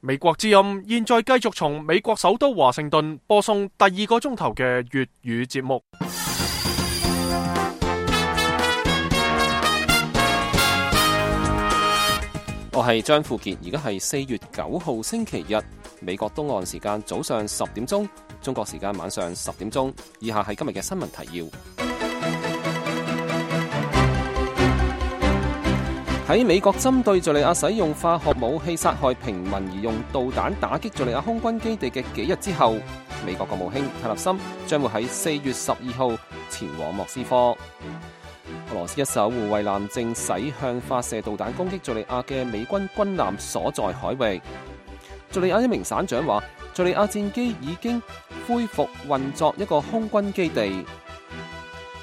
美國之音現在繼續從美國首都華盛頓播送第2個鐘頭嘅粵語節目。我係張富傑，而家係4月9號星期日，美國東岸時間早上10點鐘，中國時間晚上10點鐘。以下係今日嘅新聞提要。喺美國針對敘利亞使用化學武器殺害平民而用導彈打擊敘利亞空軍基地嘅幾日之後，美國國務卿泰勒森將會喺4月12號前往莫斯科。俄羅斯一艘護衛艦正駛向發射導彈攻擊敘利亞嘅美軍軍艦所在海域。敘利亞一名省長話，敘利亞戰機已經恢復運作一個空軍基地。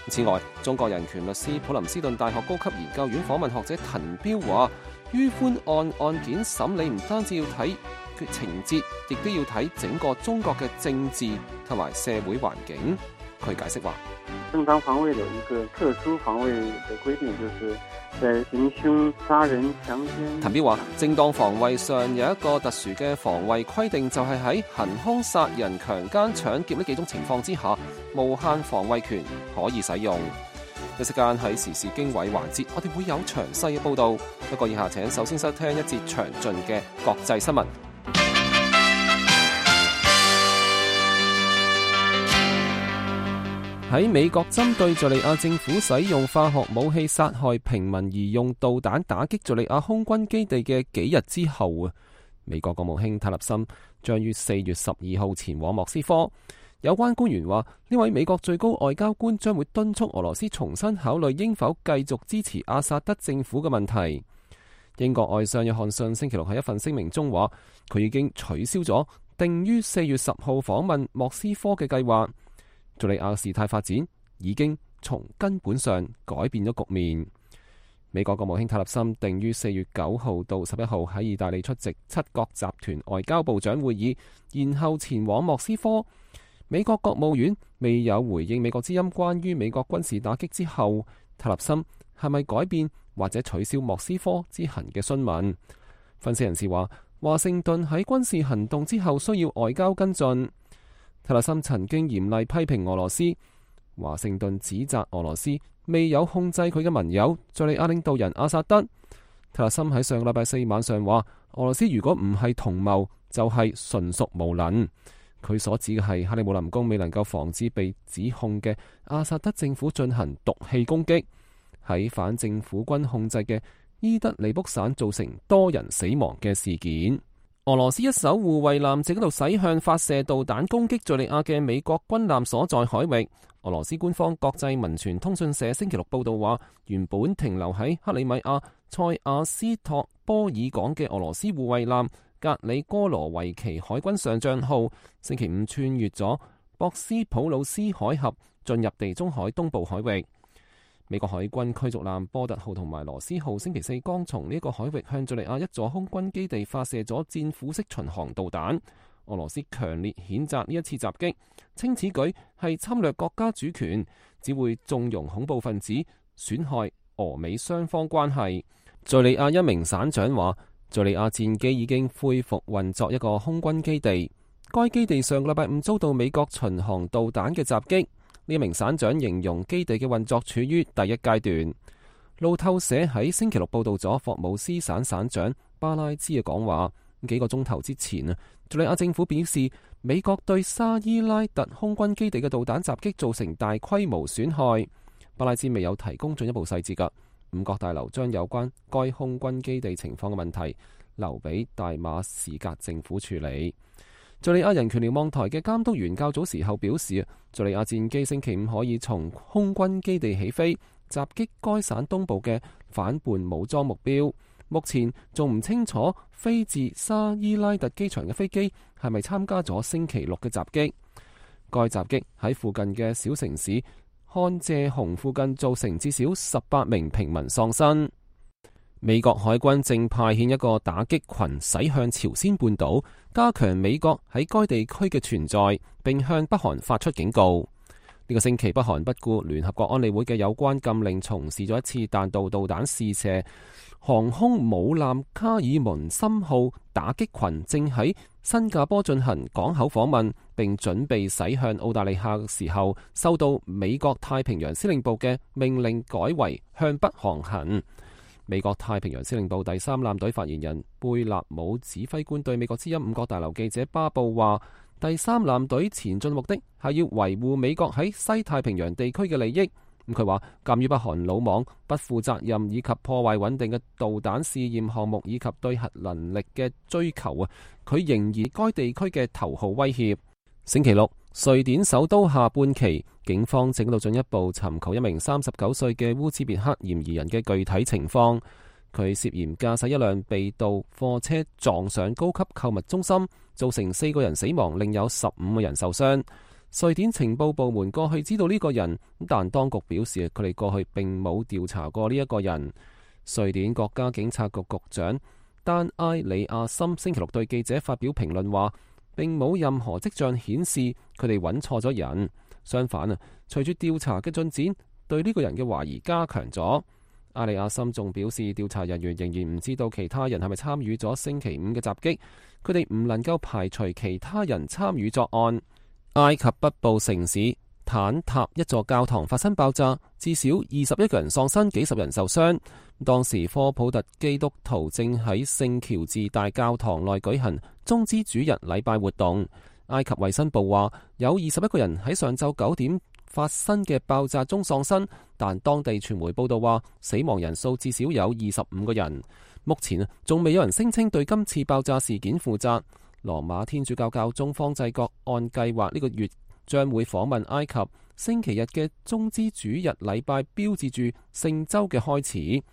此外，中國人權律師普林斯頓大學高級研究院訪問學者滕彪話，於寬案件審理唔單止要睇情節，亦都要睇整個中國嘅政治同埋社會環境。佢解釋話，正當防衛有一個特殊防衛的規定，就是在行兇、殺人、強姦。滕彪話，正當防衛上有一個特殊嘅防衛規定，就係喺行兇、殺人、強姦、搶劫呢幾種情況之下，無限防衛權可以使用。一時間喺時事經緯環節，我哋會有詳細嘅報道。不過以下請首先收聽一節詳盡嘅國際新聞。喺美國針對敘利亞政府使用化學武器殺害平民而用導彈打擊敘利亞空軍基地嘅幾日之後，美國國務卿泰勒森將於4月12號前往莫斯科。有關官員話，呢位美國最高外交官將會敦促俄羅斯重新考慮應否繼續支持阿薩德政府嘅問題。英國外相約翰遜星期六喺一份聲明中話，佢已經取消咗定於4月10號訪問莫斯科嘅計劃。敘利亞事態發展已經從根本上改變咗局面。美國國務卿泰勒森定於4月9號到11號喺意大利出席7國集團外交部長會議，然後前往莫斯科。美國國務院未有回應美國之音關於美國軍事打擊之後泰勒森係咪改變或者取消莫斯科之行嘅詢問。分析人士話，華盛頓喺軍事行動之後需要外交跟進。泰勒森曾經嚴厲批評俄羅斯，華盛頓指責俄羅斯未有控制佢嘅盟友敘利亞領導人阿薩德。泰勒森喺上個禮拜4晚上話，俄羅斯如果唔係同謀，就係純屬無能。佢所指嘅係克里姆林宮未能夠防止被指控嘅阿薩德政府進行毒氣攻擊，喺反政府軍控制嘅伊德利卜省造成多人死亡嘅事件。俄羅斯一艘護衛艦正喺度駛向發射導彈攻擊敘利亞嘅美國軍艦所在海域。俄羅斯官方國際民傳通訊社星期六報道話，原本停留喺克里米亞塞亞斯托波爾港嘅俄羅斯護衛艦格里哥羅維奇海軍上將號星期5穿越咗博斯普魯斯海峽，進入地中海東部海域。美國海軍驅逐艦波特號同埋羅斯號星期4剛從呢個海域向敘利亞一座空軍基地發射咗戰斧式巡航導彈。俄羅斯強烈譴責呢一次襲擊，稱此舉係侵略國家主權，只會縱容恐怖分子，損害俄美雙方關係。敘利亞一名省長話，敘利亞戰機已經恢復運作一個空軍基地，該基地上個禮拜5遭到美國巡航導彈嘅襲擊。呢名省長形容基地嘅運作處於第一階段。路透社喺星期六報道咗霍姆斯省省長巴拉茲嘅講話。幾個鐘頭之前啊，敘利亞政府表示，美國對沙伊拉特空軍基地嘅導彈襲擊造成大規模損害。巴拉茲未有提供進一步細節㗎。五角大樓將有關該空軍基地情況嘅問題留俾大馬士革政府處理。敘利亞人權瞭望台嘅監督員較早時候表示，敘利亞戰機星期5可以從空軍基地起飛，襲擊該省東部嘅反叛武裝目標。目前仲唔清楚飛自沙伊拉特機場嘅飛機係咪參加咗星期6嘅襲擊。該襲擊喺附近嘅小城市漢謝洪附近造成至少18名平民喪生。美國海軍正派遣一個打擊群駛向朝鮮半島，加強美國喺該地區嘅存在，並向北韓發出警告。呢個星期，北韓不顧聯合國安理會嘅有關禁令，從事咗一次彈道導彈試射。航空母艦卡爾門森號打擊群正喺新加坡進行港口訪問，並準備駛向澳大利亞嘅時候，收到美國太平洋司令部嘅命令，改為向北航行。美國太平洋司令部第三艦隊發言人貝納姆指揮官對美國之音五角大樓記者巴布話：第三艦隊前進目的係要維護美國喺西太平洋地區嘅利益。佢話，鑑於北韓魯莽、不負責任以及破壞穩定嘅導彈試驗項目以及對核能力嘅追求啊，佢仍然該地區嘅頭號威脅。星期六，瑞典首都下半旗，警方正到進一步尋求一名39歲嘅烏茲別克嫌疑人嘅具體情況。佢涉嫌駕駛一輛被盜貨車撞上高級購物中心，造成4個人死亡，另有15個人受傷。瑞典情報部門過去知道呢個人，但當局表示佢哋過去並冇調查過呢一個人。瑞典國家警察局局長丹埃里亞森星期六對記者發表評論話，並冇任何跡象顯示佢哋揾錯咗人。相反啊，隨住調查嘅進展，對呢個人嘅懷疑加強咗。阿里亞森仲表示，調查人員仍然唔知道其他人係咪參與咗星期5嘅襲擊，佢哋唔能夠排除其他人參與作案。埃及北部城市坦塔一座教堂發生爆炸，至少21個人喪生，幾十人受傷。當時科普特基督徒正喺聖喬治大教堂內舉行棕枝主日禮拜活動。埃及衛生部話，有21個人喺上晝9點發生嘅爆炸中喪生，但當地傳媒報道話，死亡人數至少有25個人。目前仲未有人聲稱對今次爆炸事件負責。羅馬天主教教宗方濟各按計劃呢個月將會訪問埃及，星期日嘅棕枝主日禮拜標誌住聖週嘅開始。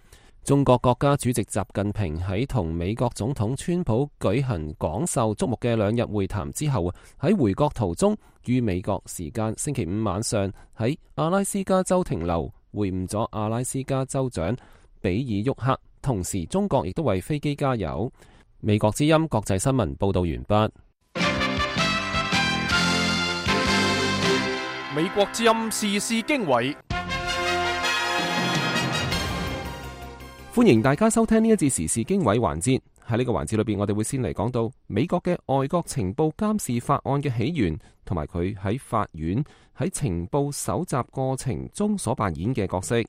中國國家主席習近平喺同美國總統川普舉行廣受矚目嘅2日會談之後，喺回國途中於美國時間星期5晚上喺阿拉斯加州停留，會晤咗阿拉斯加州長比爾沃克，同時中國亦都為飛機加油。美國之音國際新聞報道完畢。美國之音時事經緯，歡迎大家收聽呢一節時事經緯環節。喺呢個環節裏邊，我哋會先嚟講到美國嘅外國情報監視法案嘅起源，同埋佢喺法院喺情報搜集過程中所扮演嘅角色。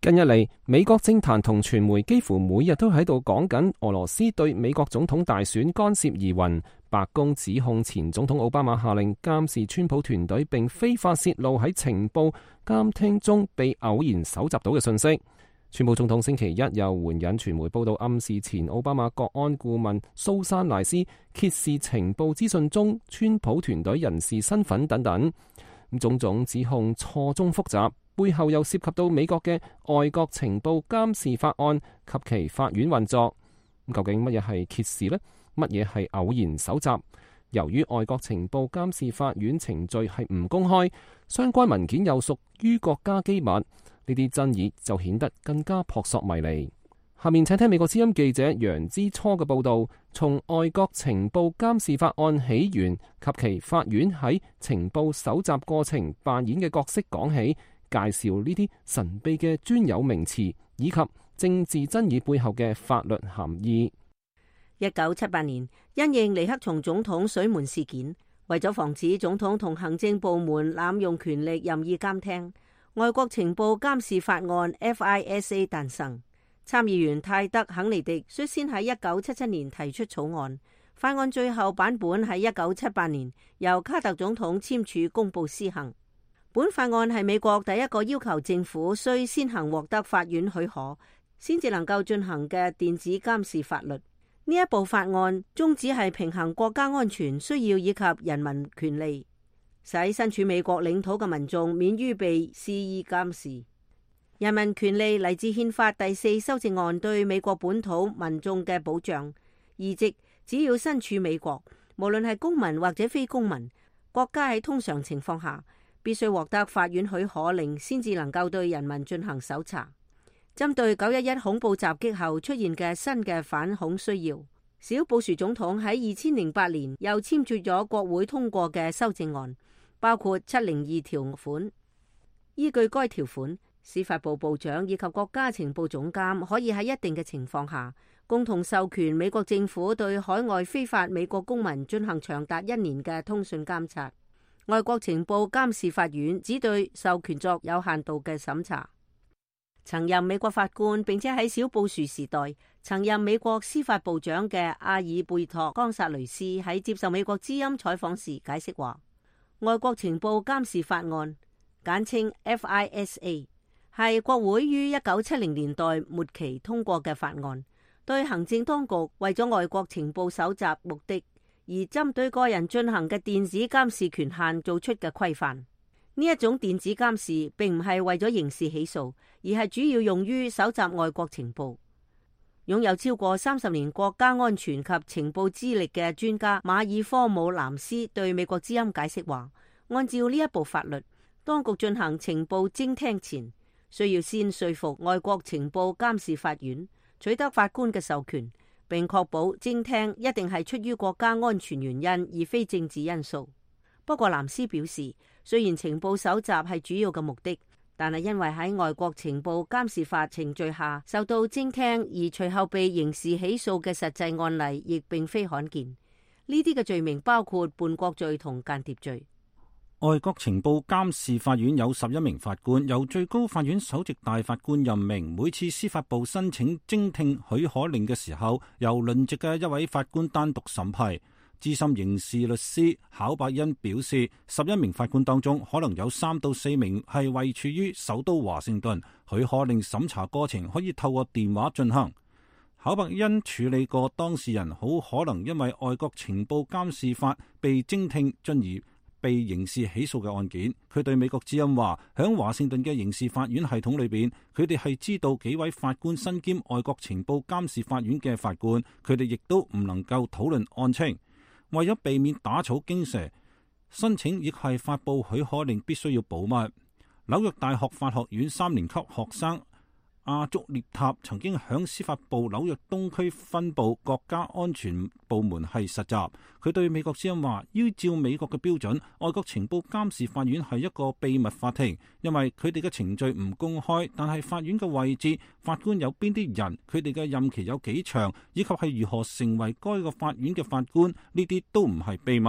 近日嚟，美國政壇同傳媒幾乎每日都喺度講緊俄羅斯對美國總統大選干涉疑雲。白宮指控前總統奧巴馬下令監視川普團隊，並非法洩露喺情報監聽中被偶然搜集到嘅信息。川普總統星期一又援引傳媒報道，暗示前奧巴馬國安顧問蘇珊萊斯揭示情報資訊中川普團隊人士身份等等。種種指控錯綜複雜，背後又涉及到美國嘅外國情報監視法案及其法院運作。究竟乜嘢係揭示呢？乜嘢係偶然搜集？由於外國情報監視法院程序係唔公開，相關文件又屬於國家機密，呢啲爭議就顯得更加撲朔迷離。下面請聽美國之音記者楊之初嘅報道，從外國情報監視法案起源及其法院喺情報搜集過程扮演嘅角色講起，介紹呢啲神秘嘅專有名詞以及政治爭議背後嘅法律含義。1978年，因應尼克松總統水門事件，為咗防止總統同行政部門濫用權力任意監聽，外國情報監視法案 FISA 誕生。參議員泰德肯尼迪率先喺1977年提出草案，法案最後版本喺1978年由卡特總統簽署公布施行。本法案係美國第一個要求政府需先行獲得法院許可，先至能夠進行嘅電子監視法律。呢一部法案宗旨係平衡國家安全需要以及人民權利，使身處美國領土嘅民眾免於被肆意監視。人民權利嚟自憲法第4修正案對美國本土民眾嘅保障，意即只要身處美國，無論係公民或者非公民，國家喺通常情況下必須獲得法院許可令，先至能夠對人民進行搜查。針對911恐怖襲擊後出現嘅新嘅反恐需要，小布殊總統喺2008年又簽署咗國會通過嘅修正案，包括702條款，依據該條款，司法部部長以及國家情報總監可以喺一定嘅情況下，共同授權美國政府對海外非法美國公民進行長達1年嘅通訊監察。外國情報監視法院只對授權作有限度嘅審查。曾任美國法官並且喺小布殊時代曾任美國司法部長嘅阿爾貝托·岡薩雷斯喺接受美國之音採訪時解釋話，外國情報監視法案簡稱 FISA 係國會於1970年代末期通過嘅法案，對行政當局為咗外國情報搜集目的而針對個人進行嘅電子監視權限做出嘅規範。呢一種電子監視並唔係為咗刑事起訴，而係主要用於搜集外國情報。擁有超過30年國家安全及情報資歷嘅專家馬爾科姆南斯對美國之音解釋話，按照呢一部法律，當局進行情報偵聽前，需要先說服外國情報監視法院取得法官嘅授權，並確保偵聽一定係出於國家安全原因，而非政治因素。不過南斯表示，雖然情報搜集係主要嘅目的，但係因為喺外國情報監視法程序下受到偵聽而隨後被刑事起訴嘅實際案例，亦並非罕見。呢啲嘅罪名包括叛國罪同間諜罪。外國情報監視法院有11名法官，由最高法院首席大法官任命。每次司法部申請偵聽許可令嘅時候，由輪值嘅一位法官單獨審批。資深刑事律師考伯恩表示，11名法官當中可能有3到4名係位處於首都華盛頓，許可令審查過程可以透過電話進行。考伯恩處理過當事人好可能因為外國情報監視法被偵聽進而被刑事起訴嘅案件。佢對美國之音話，響華盛頓嘅刑事法院系統裏邊，佢哋係知道幾位法官身兼外國情報監視法院嘅法官，佢哋亦都唔能夠討論案情。為咗避免打草驚蛇，申請亦係發布許可令必須要保密。紐約大學法學院3年級學生阿竹列塔曾經響司法部紐約東區分部國家安全部門係實習。佢對美國之音話，依照美國嘅標準，外國情報監視法院係一個秘密法庭，因為佢哋嘅程序唔公開，但係法院嘅位置、法官有邊啲人、佢哋嘅任期有幾長，以及係如何成為該個法院嘅法官，呢啲都唔係秘密。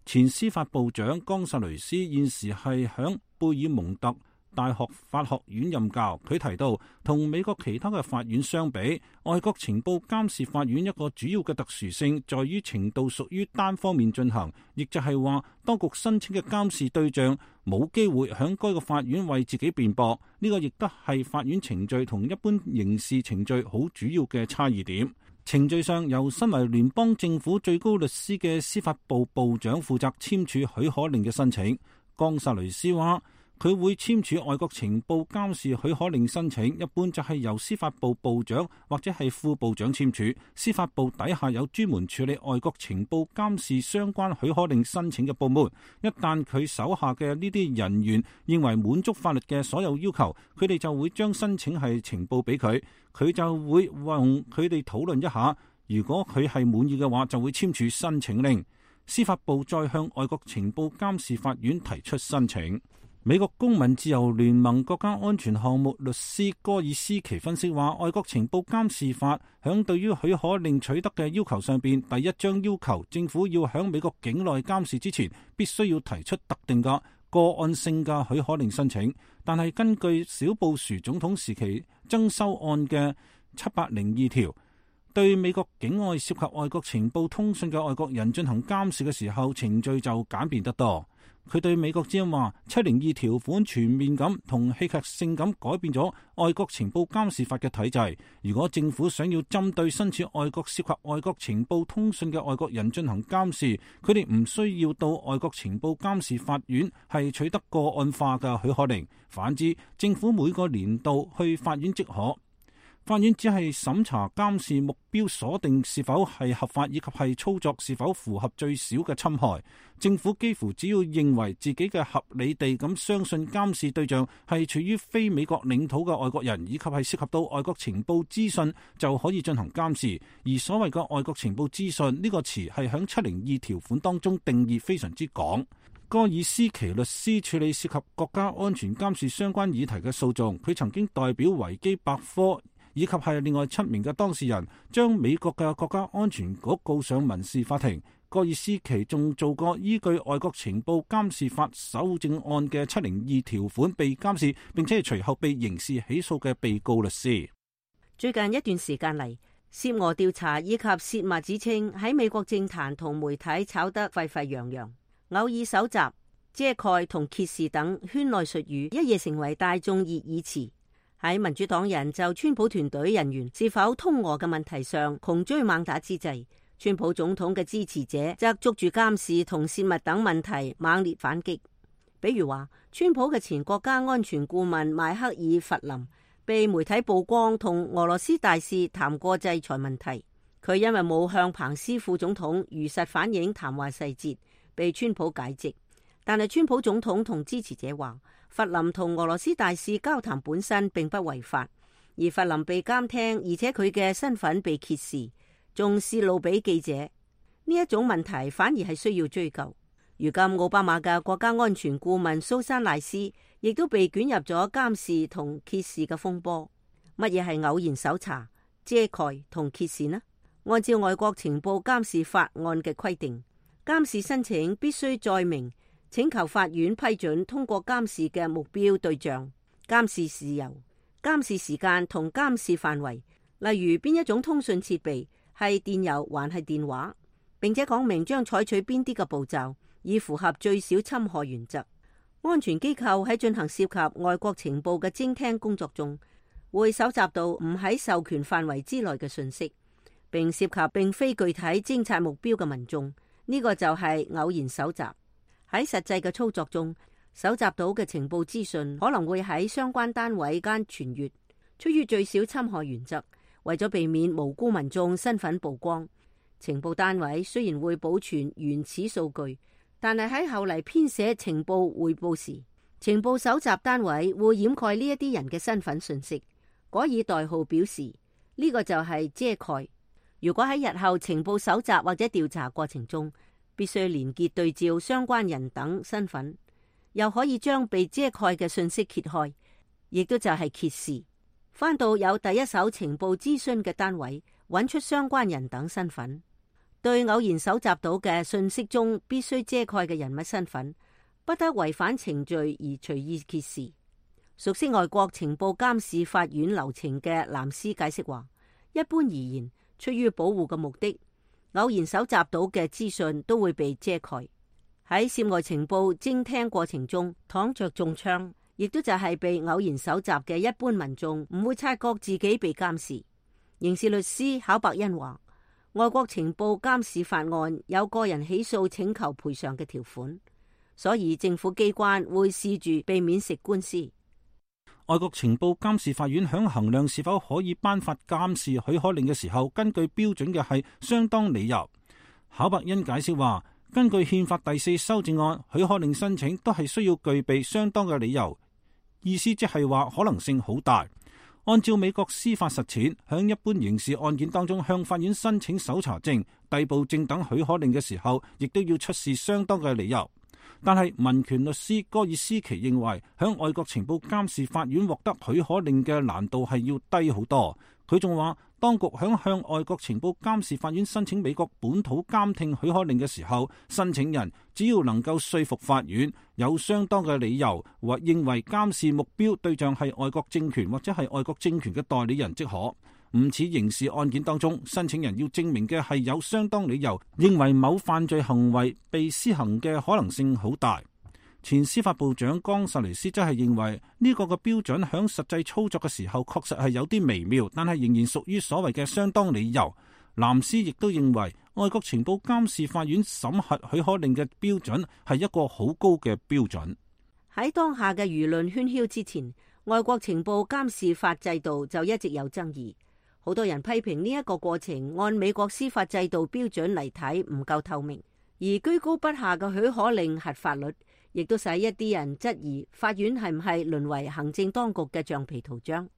前司法部長岡薩雷斯現時係響貝爾蒙特大學法學院任教。佢提到，同美國其他嘅法院相比，外國情報監視法院一個主要嘅特殊性在於程度屬於單方面進行，亦就係話，當局申請嘅監視對象冇機會響該個法院為自己辯駁。呢個亦都係法院程序同一般刑事程序好主要嘅差異點。程序上，由身為聯邦政府最高律師嘅司法部部長負責簽署許可令嘅申請。岡薩雷斯話，佢會簽署外國情報監視許可令申請，一般就係由司法部部長或者係副部長簽署。司法部底下有專門處理外國情報監視相關許可令申請嘅部門。一旦佢手下嘅呢啲人員認為滿足法律嘅所有要求，佢哋就會將申請係呈報俾佢，佢就會同佢哋討論一下。如果佢係滿意嘅話，就會簽署申請令。司法部再向外國情報監視法院提出申請。美國公民自由聯盟國家安全項目律師戈爾斯奇分析話，外國情報監視法響對於許可令取得嘅要求上邊，第一章要求政府要響美國境內監視之前，必須要提出特定嘅個案性嘅許可令申請。但係根據小布殊總統時期增修案嘅702條，對美國境外涉及外國情報通訊嘅外國人進行監視嘅時候，程序就簡便得多。佢對美國之音話，702條款全面咁同戲劇性咁改變咗外國情報監視法嘅體制。如果政府想要針對身處外國涉及外國情報通訊嘅外國人進行監視，佢哋唔需要到外國情報監視法院係取得個案化嘅許可令。反之，政府每個年度去法院即可。法院只係審查監視目標鎖定是否係合法，以及係操作是否符合最少嘅侵害。政府幾乎只要認為自己嘅合理地咁相信監視對象係處於非美國領土嘅外國人，以及係涉及到外國情報資訊，就可以進行監視。而所謂嘅外國情報資訊呢個詞係響702條款當中定義非常之廣。戈爾斯奇律師處理涉及國家安全監視相關議題嘅訴訟，佢曾經代表維基百科以及係另外7名嘅當事人，將美國嘅國家安全局告上民事法庭。戈爾斯奇仲做過依據外國情報監視法修正案嘅702條款被監視，並且係隨後被刑事起訴嘅被告律師。最近一段時間嚟，涉俄調查以及洩密之稱喺美國政壇同媒體炒得沸沸揚揚，偶爾搜集、遮蓋同揭示等圈內術語一夜成為大眾熱議詞。喺民主黨人就川普團隊人員是否通俄嘅問題上窮追猛打之際，川普總統嘅支持者則捉住監視同洩密等問題猛烈反擊。比如話，川普嘅前國家安全顧問邁克爾弗林被媒體曝光同俄羅斯大使談過制裁問題，佢因為冇向彭斯副總統如實反映談話細節，被川普解職。但係川普總統同支持者話，弗林同俄羅斯大使交談本身並不違法，而弗林被監聽，而且佢嘅身份被揭示，仲泄露俾記者，呢一種問題反而係需要追究。如今奧巴馬嘅國家安全顧問蘇珊賴斯亦都被捲入咗監視同揭示嘅風波。乜嘢係偶然搜查、遮蓋同揭示呢？按照外國情報監視法案嘅規定，監視申請必須載明請求法院批准通過監視嘅目標對象、監視事由、監視時間同監視範圍，例如邊一種通訊設備係電郵還係電話，並且講明將採取邊啲嘅步驟，以符合最小侵害原則。安全機構喺進行涉及外國情報嘅偵聽工作中，會搜集到唔喺授權範圍之內嘅信息，並涉及並非具體偵察目標嘅民眾，呢個就係偶然搜集。喺實際嘅操作中，搜集到嘅情報資訊可能會喺相關單位間傳閱。出於最小侵害原則，為咗避免無辜民眾身份曝光，情報單位雖然會保存原始數據，但係喺後嚟編寫情報匯報時，情報搜集單位會掩蓋呢一啲人嘅身份信息，改以代號表示，呢個就係遮蓋。如果喺日後情報搜集或者調查過程中，必須連結對照相關人等身份，又可以將被遮蓋嘅信息揭開，亦都就係揭示。翻到有第一手情報諮詢嘅單位，揾出相關人等身份。對偶然搜集到嘅信息中必須遮蓋嘅人物身份，不得違反程序而隨意揭示。熟悉外國情報監視法院流程嘅藍斯解釋話，一般而言，出於保護嘅目的，偶然搜集到嘅資訊都會被遮蓋。喺涉外情報偵聽過程中，躺着中槍，亦都就係被偶然搜集嘅一般民眾唔會察覺自己被監視。刑事律師考伯恩話，外國情報監視法案有個人起訴請求賠償嘅條款，所以政府機關會試住避免食官司。外國情報監視法院響衡量是否可以頒發監視許可令嘅時候，根據標準嘅係相當理由。考伯恩解釋話，根據憲法第4修正案，許可令申請都係需要具備相當嘅理由，意思即係話可能性好大。按照美國司法實踐，響一般刑事案件當中，向法院申請搜查證、逮捕證等許可令嘅時候，亦都要出示相當嘅理由。但係民權律師戈爾斯奇認為，響外國情報監視法院獲得許可令嘅難度係要低好多。佢仲話，當局響向外國情報監視法院申請美國本土監聽許可令嘅時候，申請人只要能夠說服法院有相當嘅理由，或認為監視目標對象係外國政權或者係外國政權嘅代理人即可。唔似刑事案件當中，申請人要證明嘅係有相當理由，認為某犯罪行為被施行嘅可能性好大。前司法部長岡薩雷斯則係認為呢個嘅標準響實際操作嘅時候確實係有啲微妙，但係仍然屬於所謂嘅相當理由。藍斯亦都認為外國情報監視法院審核許可令嘅標準係一個好高嘅標準。喺當下嘅輿論喧囂之前，外國情報監視法制度就一直有爭議。好多人批評呢一個過程按美國司法制度標準嚟睇唔夠透明，而居高不下嘅許可令核發率，亦都使一啲人質疑法院係唔係淪為行政當局嘅橡皮圖章。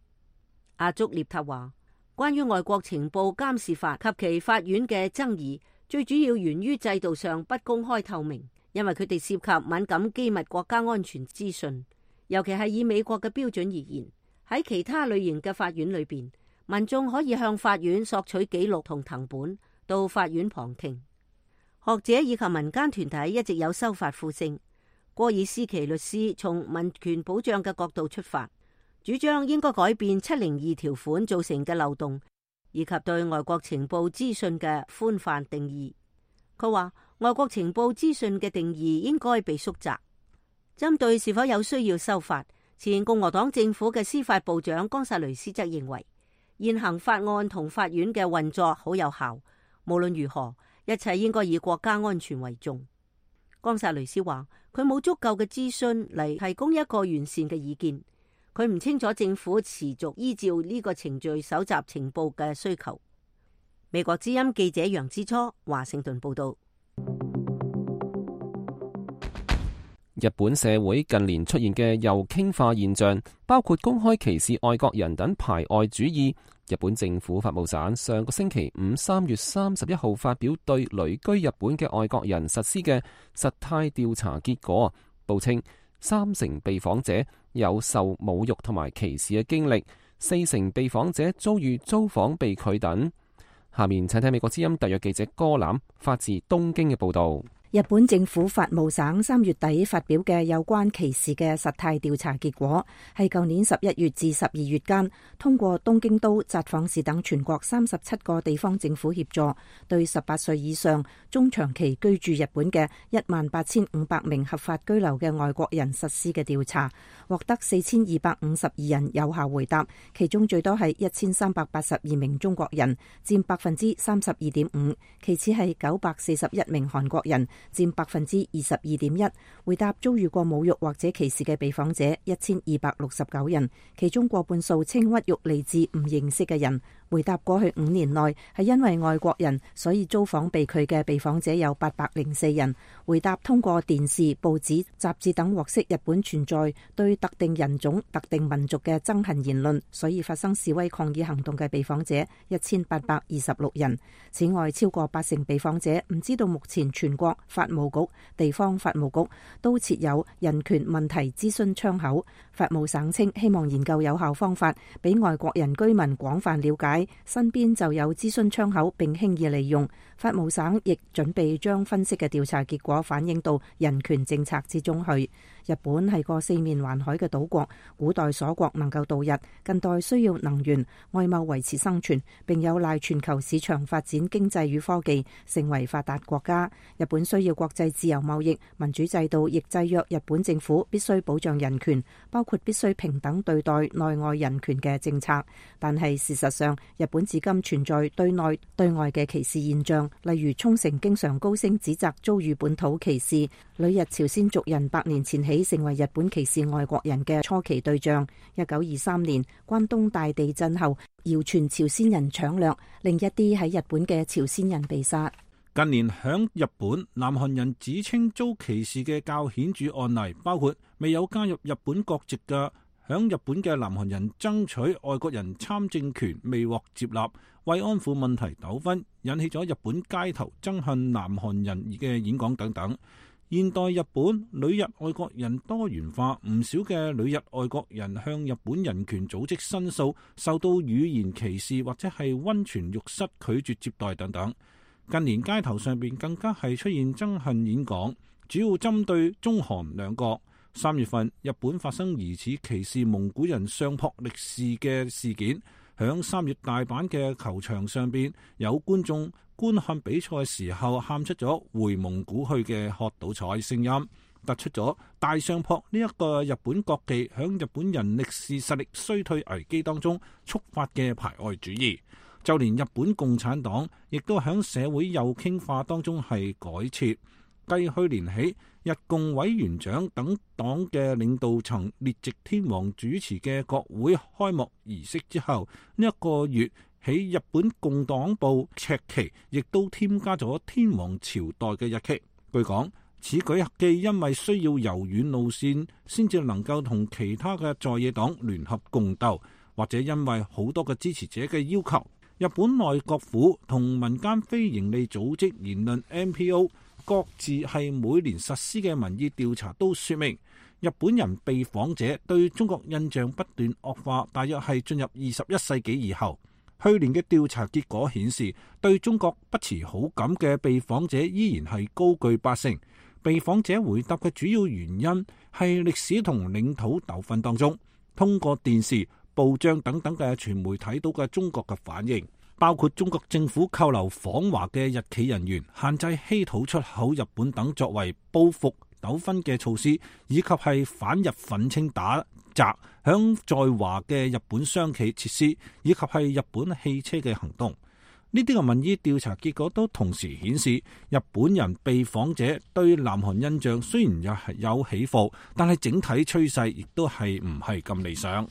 阿竹列塔話，關於外國情報監視法及其法院嘅爭議，最主要源於制度上不公開透明，因為佢哋涉及敏感機密國家安全資訊，尤其係以美國嘅標準而言，喺其他類型嘅法院裏邊，民眾可以向法院索取記錄同藤本，到法院旁聽。學者以及民間團體一直有修法呼聲。戈爾斯奇律師從民權保障嘅角度出發，主張應該改變702條款造成嘅漏洞，以及對外國情報資訊嘅寬泛定義。佢話外國情報資訊嘅定義應該被縮窄。針對是否有需要修法，前共和黨政府嘅司法部長岡薩雷斯則認為，現行法案同法院嘅運作好有效，無論如何，一切應該以國家安全為重。岡薩雷斯話，佢冇足夠嘅資訊嚟提供一個完善嘅意見，佢唔清楚政府持續依照呢個程序搜集情報嘅需求。美國之音記者楊之初華盛頓報道。日本社會近年出現嘅右傾化現象，包括公開歧視外國人等排外主義。日本政府法務省上個星期五3月31號發表對旅居日本嘅外國人實施嘅實態調查結果，報稱3成被訪者有受侮辱同埋歧視嘅經歷，4成被訪者遭遇租房被拒等。下面請睇美國之音特約記者柯南發自東京嘅報道。日本政府法務省3月底發表嘅有關歧視嘅實態調查結果，係舊年11月至12月間，通過東京都、札幌市等全國37個地方政府協助，對18歲以上中長期居住日本嘅18500名合法居留嘅外國人實施嘅調查，獲得4252人有效回答，其中最多係1382名中國人，佔32.5%，其次係941名韓國人，佔22.1%，回答遭遇過侮辱或者歧視嘅被訪者1269人，其中過半數稱屈辱嚟自唔認識嘅人。回答過去5年內係因為外國人所以租房被拒嘅被訪者有804人。回答通過電視、報紙、雜誌等獲悉日本存在對特定人種、特定民族嘅憎恨言論，所以發生示威抗議行動嘅被訪者1826人。此外，超過80%被訪者唔知道目前全國法務局、地方法務局都設有人權問題諮詢窗口。法務省稱希望研究有效方法，俾外國人居民廣泛了解身邊就有諮詢窗口並輕易利用。法務省亦準備將分析嘅調查結果反映到人權政策之中去。日本係個4面環海嘅島國，古代鎖國能夠度日，近代需要能源、外貿維持生存，並有賴全球市場發展經濟與科技，成為發達國家。日本需要國際自由貿易，民主制度亦制約日本政府必須保障人權，包括必須平等對待內外人權嘅政策。但係事實上，日本至今存在對內對外嘅歧視現象，例如沖繩經常高聲指責遭遇本土歧視，旅日朝鮮族人100年前起成為日本歧視外國人嘅初期對象。1923年關東大地震後，謠傳朝鮮人搶掠，令一啲喺日本嘅朝鮮人被殺。近年響日本，南韓人指稱遭歧視嘅較顯著案例，包括未有加入日本國籍嘅響日本嘅南韓人爭取外國人參政權未獲接納，慰安婦問題糾紛引起咗日本街頭憎恨南韓人嘅演講等等。現代日本旅日外國人多元化，唔少嘅旅日外國人向日本人權組織申訴，受到語言歧視或者係溫泉浴室拒絕接待等等。近年街頭上邊更加係出現憎恨演講，主要針對中韓兩國。3月份，日本發生疑似歧視蒙古人相撲力士嘅事件。響3月大阪嘅球場上邊，有觀眾觀看比賽嘅時候喊出咗回蒙古去嘅喝倒彩聲音，突出咗大相撲呢一個日本國技響日本人歷史實力衰退危機當中觸發嘅排外主義。就連日本共產黨亦都響社會右傾化當中係改設。繼去年起，日共委員長等黨嘅領導層列席天皇主持嘅國會開幕儀式之後，呢一個月起，日本共黨部赤旗亦都添加咗天皇朝代嘅日期。據講，此舉既因為需要柔軟路線先至能夠同其他嘅在野黨聯合共鬥，或者因為好多嘅支持者嘅要求，日本內閣府同民間非營利組織言論 NPO 各自係每年實施嘅民意調查都說明，日本人被訪者對中國印象不斷惡化，大約係進入21世紀以後。去年嘅調查結果顯示，對中國不持好感嘅被訪者依然係高居80%。被訪者回答嘅主要原因係歷史同領土糾紛當中，通過電視、報章等等嘅傳媒睇到嘅中國嘅反應，包括中國政府扣留訪華嘅日企人員、限制稀土出口日本等作為報復糾紛嘅措施，以及係反日憤青打砸響在華嘅日本商企設施，以及係日本汽車嘅行動。呢啲嘅民意調查結果都同時顯示，日本人被訪者對南韓印象雖然有起伏，但係整體趨勢亦都係唔係咁理想。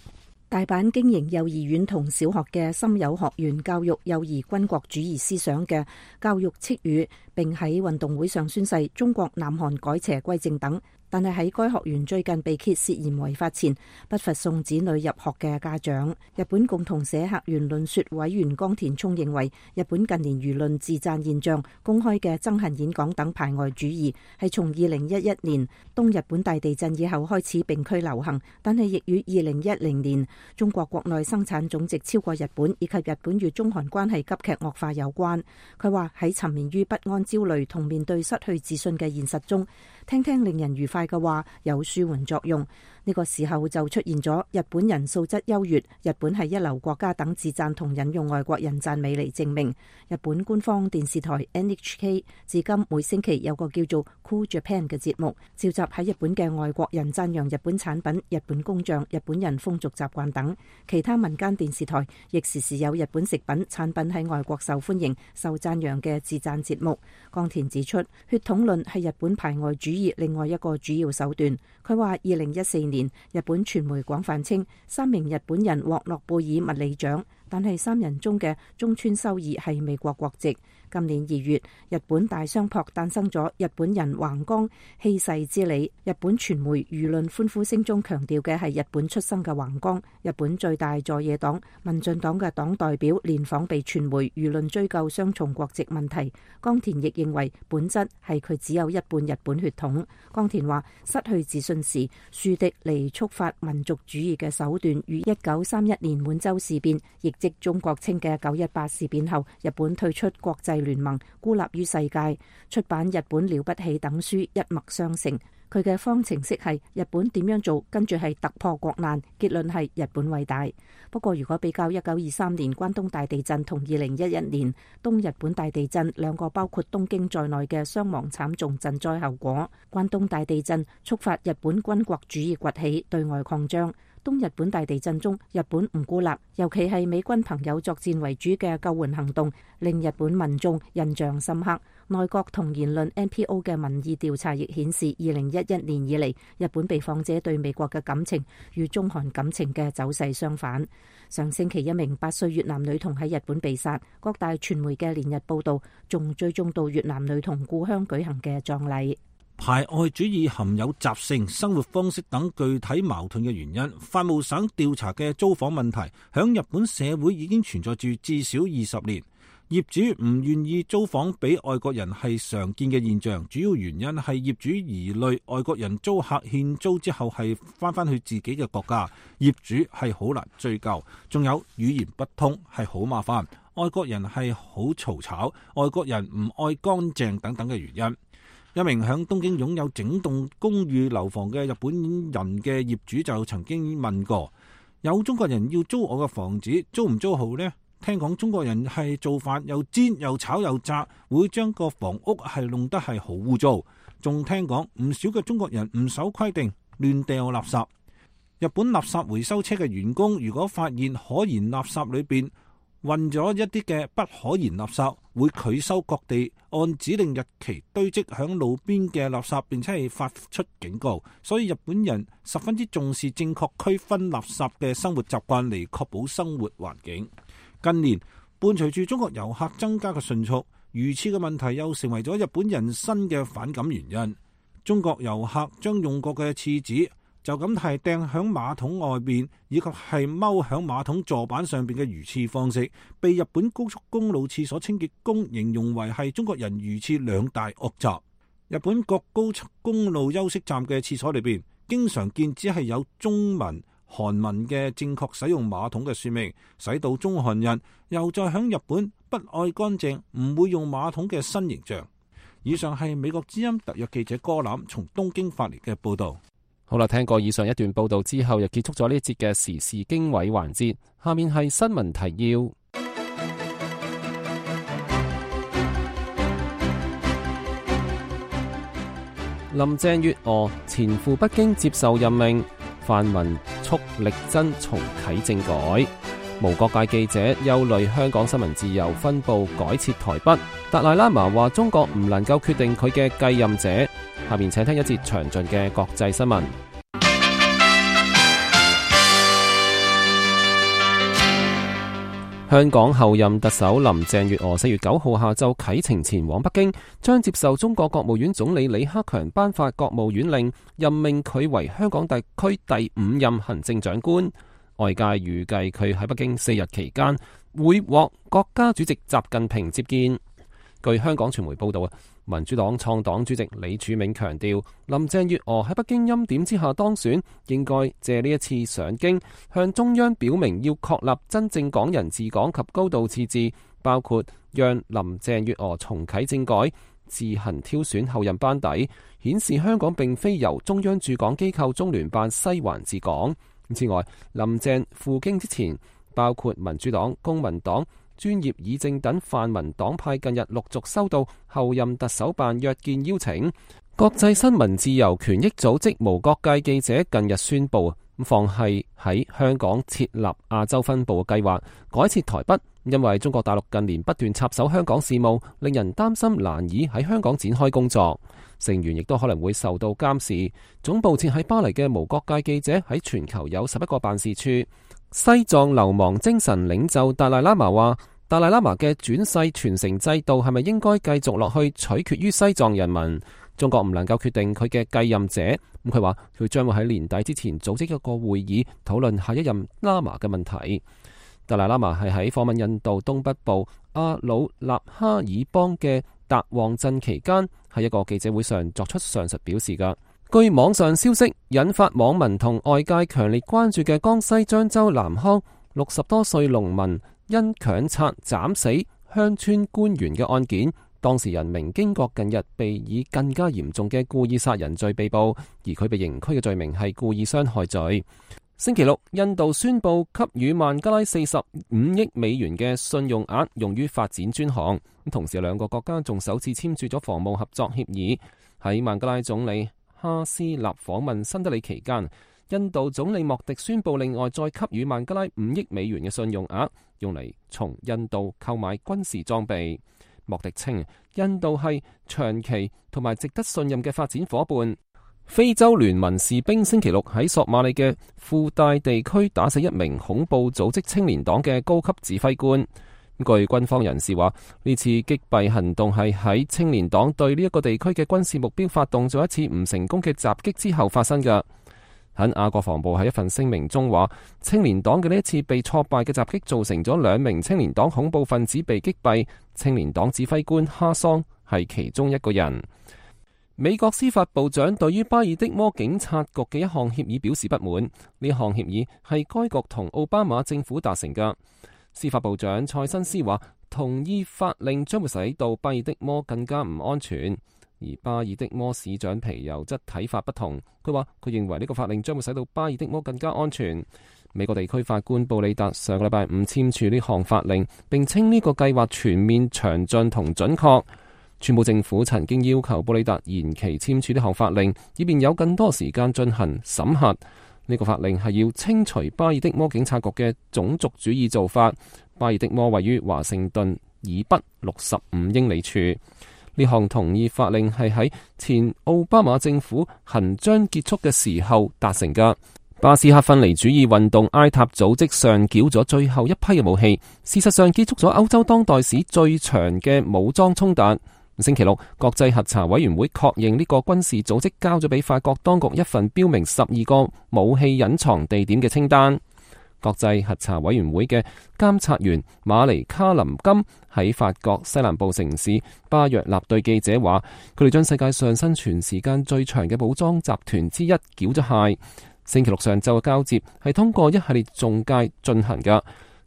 大阪經營幼兒園同小學嘅森友學園教育幼兒軍國主義思想嘅教育斥語，並喺運動會上宣誓中國南韓改邪歸正等。但係喺該學園最近被揭涉嫌違法前，不乏送子女入學嘅家長。日本共同社客員論說委員岡田聰認為，日本近年輿論自讚現象、公開嘅憎恨演講等排外主義係從2011年東日本大地震以後開始並區流行，但係亦與2010年中國國內生產總值超過日本以及日本與中韓關係急劇惡化有關。佢話喺沉眠於不安、焦慮同面對失去自信嘅現實中，聽聽令人愉快嘅話有舒緩作用。呢個時候就出現咗日本人素質優越、日本係一流國家等自讚同引用外國人讚美嚟證明。日本官方電視台 NHK 至今每星期有個叫做 Cool Japan 嘅節目，召集喺日本嘅外國人讚揚日本產品、日本工匠、日本人風俗習慣等。其他民間電視台亦時時有日本食品產品喺外國受歡迎、受讚揚嘅自讚節目。岡田指出，血統論係日本排外主義另外一個主要手段。佢話2014年日本傳媒廣泛稱3名日本人獲諾貝爾物理獎，但係3人中嘅中村修二係美國國籍。今年2月，日本大相撲誕生咗日本人橫綱棄世之理。日本傳媒輿論歡呼聲中強調嘅係日本出生嘅橫綱。日本最大在野黨民進黨嘅黨代表連訪被傳媒輿論追究雙重國籍問題。岡田亦認為本質係佢只有一半日本血統。岡田話失去自信時樹敵嚟觸發民族主義嘅手段與1931年滿洲事變，亦即中國稱嘅918事變後，日本退出國際聯盟，孤立於世界，出版《日本了不起》等書一脈相承。佢嘅方程式係日本點樣做，跟住係突破國難，結論係日本偉大。不過如果比較1923年關東大地震同2011年東日本大地震兩個包括東京在內嘅傷亡慘重震災後果，關東大地震觸發日本軍國主義崛起，對外擴張。東日本大地震中，日本唔孤立，尤其係美軍朋友作戰為主嘅救援行動，令日本民眾印象深刻。內閣同言論 NPO 嘅民意調查亦顯示，2011年以嚟，日本被訪者對美國嘅感情與中韓感情嘅走勢相反。上星期一名8歲越南女童喺日本被殺，各大傳媒嘅連日報導，仲追蹤到越南女童故鄉舉行嘅葬禮。排外主義含有習性、生活方式等具體矛盾嘅原因。法務省調查嘅租房問題，響日本社會已經存在住至少20年。業主唔願意租房俾外國人係常見嘅現象，主要原因係業主疑慮外國人租客欠租之後係翻去自己嘅國家，業主係好難追究。仲有語言不通係好麻煩，外國人係好嘈吵，外國人唔愛乾淨等等嘅原因。一名響東京擁有整棟公寓樓房嘅日本人嘅業主就曾經問過，有中國人要租我嘅房子，租唔租好呢？聽講中國人係做飯又煎又炒又炸，會將個房屋係弄得係好污糟。仲聽講唔少嘅中國人唔守規定，亂掉垃圾。日本垃圾回收車嘅員工如果發現可燃垃圾裏邊混咗一啲嘅不可燃垃圾，會拒收各地按指定日期堆積響路邊嘅垃圾，並且係發出警告。所以日本人十分之重視正確區分垃圾嘅生活習慣，嚟確保生活環境。近年伴隨住中國遊客增加嘅迅速，如廁嘅問題又成為咗日本人新嘅反感原因。中國遊客將用過嘅廁紙就咁係掟響馬桶外邊，以及係踎響馬桶座板上邊嘅如廁方式，被日本高速公路廁所清潔工形容為係中國人如廁兩大惡習。日本各高速公路休息站嘅廁所裏邊，經常見只係有中文、韓文嘅正確使用馬桶嘅說明，使到中韓人又再響日本不愛乾淨、唔會用馬桶嘅新形象。以上係美國之音特約記者柯南從東京發嚟嘅報道。好啦，聽過以上一段報道之後，又結束咗呢一節嘅時事經緯環節。下面係新聞提要。林鄭月娥前赴北京接受任命，泛民促力爭重啟政改。無國界記者憂慮香港新聞自由分部改設台北。達賴喇嘛話中國唔能夠決定佢嘅繼任者。下面請聽一節詳盡嘅國際新聞。香港候任特首林鄭月娥4月9號下晝啟程前往北京，將接受中國國務院總理李克強頒發國務院令，任命佢為香港特區第5任行政長官。外界預計佢喺北京4日期間會獲國家主席習近平接見。據香港傳媒報道，民主黨創黨主席李柱銘強調，林鄭月娥喺北京欽點之下當選，應該借呢一次上京向中央表明要確立真正港人治港及高度自治，包括讓林鄭月娥重啟政改、自行挑選後任班底，顯示香港並非由中央駐港機構中聯辦西環治港。此外，林鄭赴京之前，包括民主黨、公民黨、專業議政等泛民黨派近日陸續收到候任特首辦約見邀請。國際新聞自由權益組織無國界記者近日宣布，放棄喺香港設立亞洲分部嘅計劃，改設台北，因為中國大陸近年不斷插手香港事務，令人擔心難以喺香港展開工作。成員亦都可能會受到監視。總部設喺巴黎嘅無國界記者喺全球有11個辦事處。西藏流亡精神領袖達賴喇嘛話，達賴喇嘛嘅轉世傳承制度係咪應該繼續落去，取決於西藏人民。中國唔能夠決定佢嘅繼任者。佢話佢將會喺年底之前組織一個會議，討論下一任喇嘛嘅問題。達賴喇嘛係喺訪問印度東北部阿魯納哈爾邦嘅達旺鎮期間，喺一個記者會上作出上述表示㗎。據網上消息，引發網民同外界強烈關注嘅江西漳州南康60多歲農民因強拆斬死鄉村官員嘅案件，當事人明經國近日被以更加嚴重嘅故意殺人罪被捕，而佢被刑拘嘅罪名係故意傷害罪。星期六，印度宣布給予孟加拉45億美元嘅信用額用於發展專項，同時兩個國家仲首次簽署咗防務合作協議。喺孟加拉總理哈斯納訪問新德里期間，印度總理莫迪宣布另外再給予孟加拉5億美元嘅信用額，用嚟從印度購買軍事裝備。莫迪稱，印度係長期同埋值得信任嘅發展伙伴。非洲聯盟士兵星期六喺索馬里嘅富大地區打死一名恐怖組織青年黨嘅高級指揮官。據軍方人士話，呢次擊斃行動係喺青年黨對呢一個地區嘅軍事目標發動咗一次唔成功嘅襲擊之後發生嘅。肯亞國防部喺一份聲明中話，青年黨嘅呢一次被挫敗嘅襲擊造成咗2名青年黨恐怖分子被擊斃，青年黨指揮官哈桑係其中一個人。美國司法部長對於巴爾的摩警察局嘅一項協議表示不滿，呢項協議係該局同奧巴馬政府達成嘅。司法部長塞申斯話，同意法令將會使到巴爾的摩更加唔安全，而巴爾的摩市長皮尤則睇法不同。佢話佢認為呢個法令將會使到巴爾的摩更加安全。美國地區法官布里達上個禮拜5簽署呢項法令，並稱呢個計劃全面、詳盡同準確。川普政府曾經要求布里達延期簽署呢項法令，以便有更多時間進行審核。呢個法令係要清除巴爾的摩警察局嘅種族主義做法。巴爾的摩位於華盛頓以北65英里處。呢項同意法令係喺前奧巴馬政府行將結束嘅時候達成㗎。巴斯克分離主義運動埃塔組織上繳咗最後一批嘅武器，事實上結束咗歐洲當代史最長嘅武裝衝突。星期六，國際核查委員會確認呢個軍事組織交咗俾法國當局一份標明12個武器隱藏地點嘅清單。國際核查委員會嘅監察員馬尼卡林金喺法國西南部城市巴約納對記者話，佢哋將世界上生存時間最長嘅武裝集團之一繳咗械。星期六上晝嘅交接係通過一系列中介進行嘅，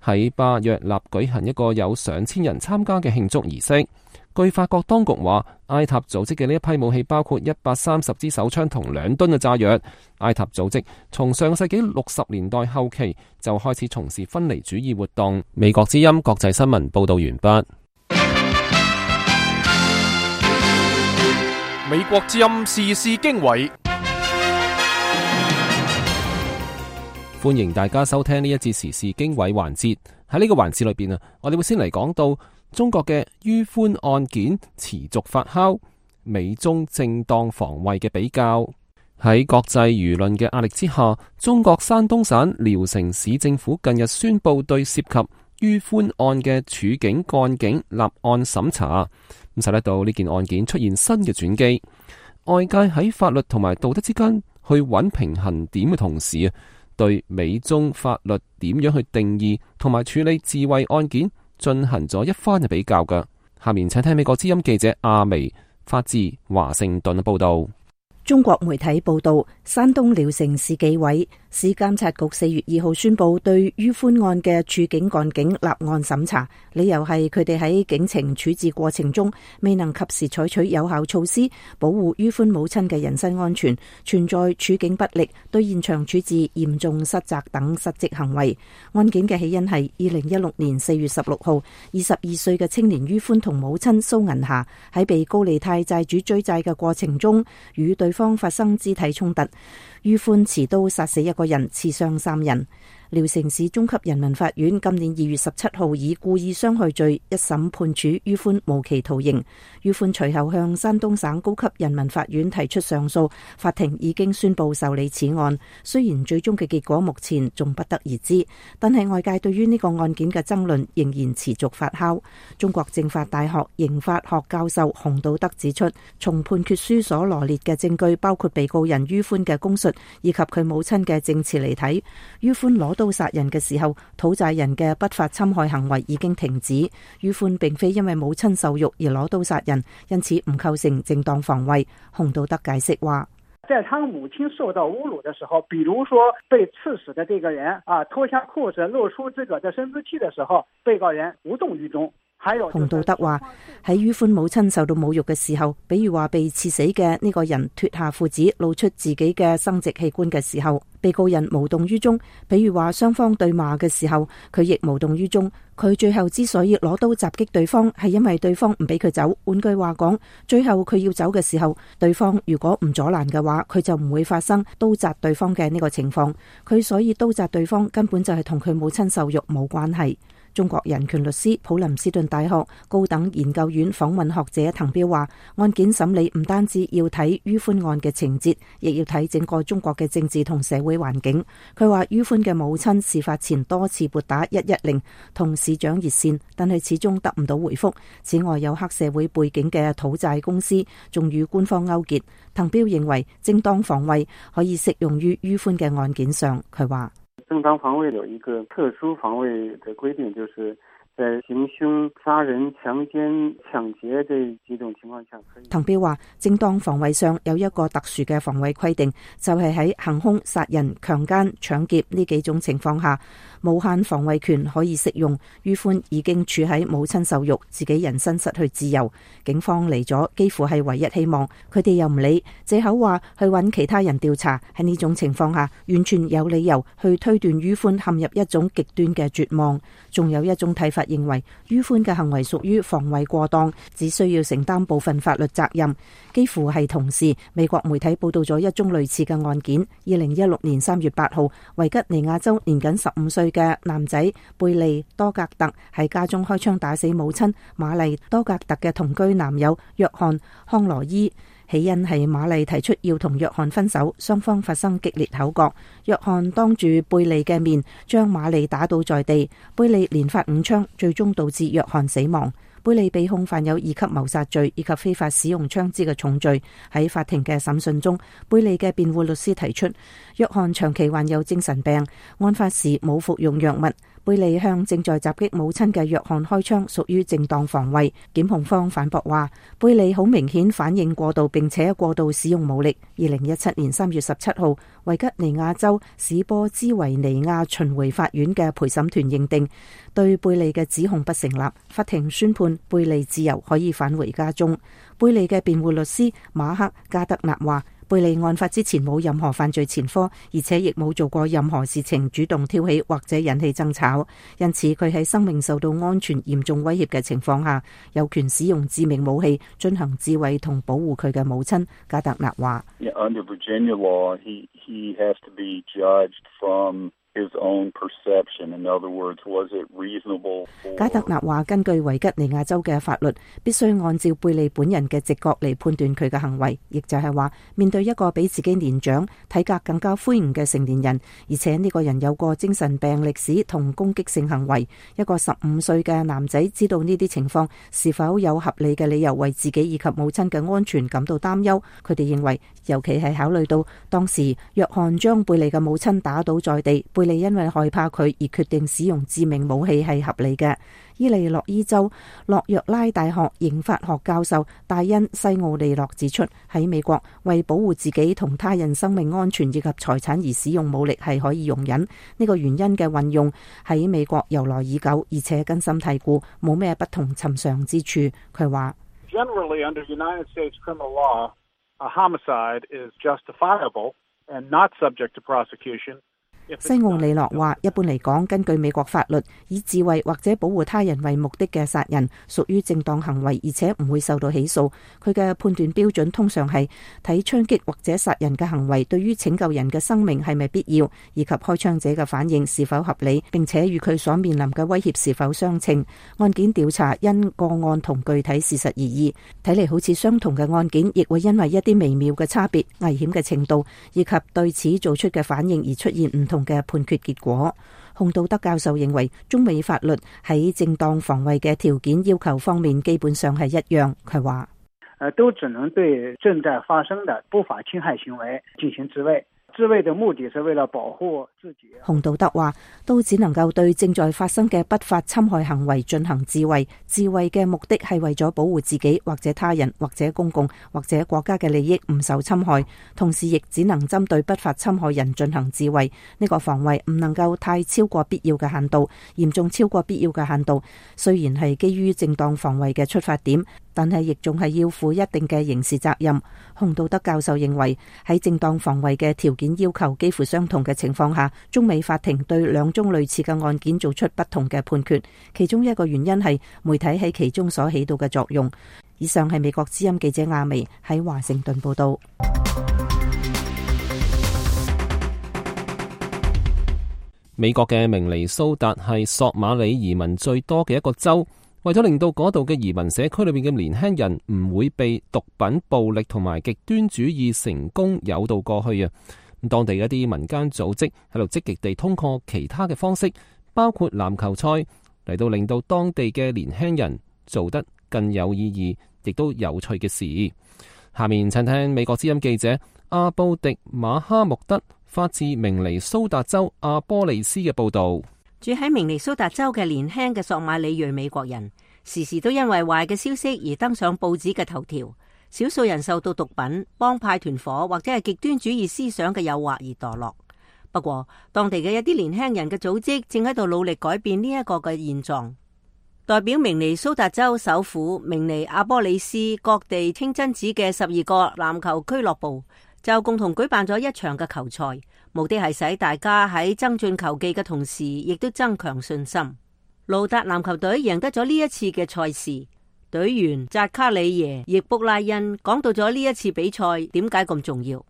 喺巴約納舉行一個有上千人參加嘅慶祝儀式。據法國當局話，埃塔組織嘅呢一批武器包括130支手槍同2噸嘅炸藥。埃塔組織從上世紀60年代後期就開始從事分離主義活動。美國之音國際新聞報道完畢。美國之音時事經緯，歡迎大家收聽呢一節時事經緯環節。喺呢個環節裏邊我哋會先嚟講到中國嘅於寬案件持續發酵，美中正當防衛嘅比較。喺國際輿論嘅壓力之下，中國山東省聊城市政府近日宣布對涉及於寬案嘅處境幹警立案審查，咁使得到呢件案件出現新嘅轉機。外界喺法律同埋道德之間去揾平衡點嘅同時，對美中法律點樣去定義同埋處理自衛案件進行咗一番嘅比較嘅。下面請聽美國之音記者阿薇發自華盛頓嘅報道。中國媒體報道，山東聊城市紀委市監察局4月2號宣布對於寬案嘅處境幹警立案審查，理由係佢哋喺警情處置過程中未能及時採取有效措施保護於寬母親嘅人身安全，存在處境不力、對現場處置嚴重失責等失職行為。案件嘅起因係2016年4月16號，22歲嘅青年於寬同母親蘇銀霞喺被高利貸債主追債嘅過程中與對方發生肢體衝突，於寬持刀殺死1個人，刺傷3人。聊城市中級人民法院今年2月17號以故意傷害罪一審判處於寬無期徒刑。於寬隨後向山東省高級人民法院提出上訴，法庭已經宣布受理此案。雖然最終嘅結果目前仲不得而知，但係外界對於呢個案件嘅爭論仍然持續發酵。中國政法大學刑法學教授洪道德指出，從判決書所羅列嘅證據，包括被告人於寬嘅供述以及佢母親嘅證詞嚟睇，於寬攞刀殺人嘅時候，討債人嘅不法侵害行為已經停止。於寬並非因為母親受辱而攞刀殺人，因此唔構成正當防衛。洪道德解釋話，在他母親受到侮辱的時候，比如說被刺死的這個人脫下褲子露出自個的生殖器的時候，被告人無動於衷。洪道德話，喺於寬母親受到侮辱嘅時候，比如話被刺死嘅呢個人脫下褲子露出自己嘅生殖器官嘅時候，被告人無動於衷。比如話雙方對罵嘅時候，佢亦無動於衷。佢最後之所以攞刀襲擊對方，係因為對方唔俾佢走。換句話講，最後佢要走嘅時候，對方如果唔阻攔嘅話，佢就唔會發生刀扎對方嘅呢個情況。佢所以刀扎對方根本就係同佢母親受辱冇關係。中國人權律師、普林斯頓大學高等研究院訪問學者滕彪話，案件審理唔單止要睇於寬案嘅情節，亦要睇整個中國嘅政治同社會環境。佢話於寬嘅母親事發前多次撥打110同市長熱線，但係始終得唔到回覆。此外，有黑社會背景嘅討債公司仲與官方勾結。滕彪認為正當防衛可以適用於於寬嘅案件上。佢話，正當防衛有一個特殊防衛的規定，就是在行兇、殺人、強姦、搶劫這幾種情況下。滕彪話，正當防衛上有一個特殊嘅防衛規定，就係喺行兇、殺人、強姦、搶劫呢幾種情況下，無限防衛權可以適用。於寬已經處喺母親受辱、自己人身失去自由，警方嚟咗幾乎係唯一希望，佢哋又唔理，借口話去揾其他人調查。喺呢種情況下，完全有理由去推斷於寬陷入一種極端嘅絕望。仲有一種睇法認為，於寬嘅行為屬於防衛過當，只需要承擔部分法律責任。幾乎係同時，美國媒體報道咗一宗類似嘅案件。2016年3月8號，維吉尼亞州年僅15歲嘅男仔貝利多格特喺家中開槍打死母親瑪麗多格特嘅同居男友約翰康羅伊。起因係瑪麗提出要同約翰分手，雙方發生激烈口角。約翰當住貝利嘅面將瑪麗打倒在地，貝利連發5槍，最終導致約翰死亡。貝利被控犯有2級謀殺罪以及非法使用槍支嘅重罪。喺法庭嘅審訊中，貝利嘅辯護律師提出，約翰長期患有精神病，案發時冇服用藥物。貝利向正在襲擊母親嘅約翰開槍，屬於正當防衛。檢控方反駁話，貝利好明顯反應過度，並且過度使用武力。2017年3月17號，維吉尼亞州史波茲維尼亞巡迴法院嘅陪審團認定對貝利嘅指控不成立，法庭宣判貝利自由，可以返回家中。貝利嘅辯護律師馬克加德納話，貝利案發之前冇任何犯罪前科，而且亦冇做過任何事情主動挑起或者引起爭吵，因此佢喺生命受到安全嚴重威脅嘅情況下，有權使用致命武器進行自衛同保護佢嘅母親。加德納話，Under Virginia law, he has to be judged from his own perception. In other words, was it reasonable? 加德納話，根據維吉尼亞州嘅法律，必須按照貝利本人嘅直覺嚟判斷佢嘅行為，亦就係話，面對一個比自己年長、體格更加魁梧嘅成年人，而且呢個人有過精神病歷史同攻擊性行為，一個15歲嘅男仔知道呢啲情況，是否有合理嘅理由為自己以及母親嘅安全感到擔憂？佢哋認為，尤其係考慮到當時約翰將貝利嘅母親打倒在地，貝利因為害怕佢而決定使用致命武器係合理嘅。伊利諾伊州洛約拉大學刑法學教授戴恩·西奧利諾指出，喺美國為保護自己同他人生命安全以及財產而使用武力係可以容忍，呢個原因嘅運用喺美國由來已久，而且根深蒂固，冇咩不同尋常之處。佢話，Generally under United States criminal law, a homicide is justifiable and not subject to prosecution. 西奧利諾話，一般嚟講，根據美國法律，以自衛或者保護他人為目的嘅殺人屬於正當行為，而且唔會受到起訴。佢嘅判斷標準通常係睇槍擊或者殺人嘅行為對於拯救人嘅生命係咪必要，以及開槍者嘅反應是否合理，並且與佢所面臨嘅威脅是否相稱。案件調查因個案同具體事實而異，睇嚟好似相同嘅案件，亦會因為一啲微妙嘅差別、危險嘅程度以及對此做出嘅反應而出現唔同嘅判決結果。洪道德教授認為，中美法律喺正當防衛嘅條件要求方面基本上係一樣。佢話，都只能對正在發生的不法侵害行為進行自衛。自衛的目的是為了保護自己。洪道德話，都只能夠對正在發生嘅不法侵害行為進行自衛。自衛嘅目的係為咗保護自己或者他人或者公共或者國家嘅利益唔受侵害，同時亦只能針對不法侵害人進行自衛。呢個防衛唔能夠太超過必要嘅限度，嚴重超過必要嘅限度。雖然係基於正當防衛嘅出發點，但係亦仲係要負一定嘅刑事責任。洪道德教授認為，喺正當防衛嘅條件要求幾乎相同嘅情況下，中美法庭對兩宗類似嘅案件做出不同嘅判決，其中一個原因係媒體喺其中所起到嘅作用。以上係美國之音記者亞薇喺華盛頓報道。美國嘅明尼蘇達係索馬里移民最多嘅一個州。為咗令到嗰度嘅移民社區裏面嘅年輕人唔會被毒品、暴力同埋極端主義成功誘導過去啊，咁當地一啲民間組織喺度積極地通過其他嘅方式，包括籃球賽嚟到令到當地嘅年輕人做得更有意義，亦都有趣嘅事。下面請聽美國之音記者阿布迪馬哈穆德發自明尼蘇達州阿波利斯嘅報道。住喺明尼蘇達州嘅年輕嘅索馬里裔美國人，時時都因為壞嘅消息而登上報紙嘅頭條。少數人受到毒品、幫派團伙或者係極端主義思想嘅誘惑而墮落。不過，當地嘅一啲年輕人嘅組織正喺度努力改變呢一個嘅現狀。代表明尼蘇達州首府明尼阿波利斯各地清真寺嘅12個籃球俱樂部，就共同舉辦咗一場嘅球賽。目的係使大家喺增進球技嘅同時，亦都增強信心。盧達籃球隊贏得咗呢一次嘅賽事，隊員扎卡里耶易卜拉恩講到咗呢一次比賽點解咁重要。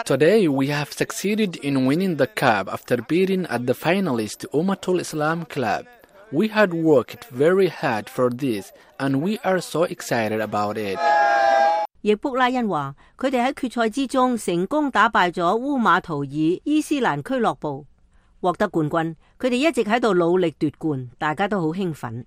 Today we have succeeded in winning the cup after beating at the finalist Ummatul Islam Club. We had worked very hard for this, and we are so excited about it. 易卜拉恩話：佢哋喺決賽之中成功打敗咗烏馬圖爾伊斯蘭俱樂部，獲得冠軍。佢哋一直喺度努力奪冠，大家都好興奮。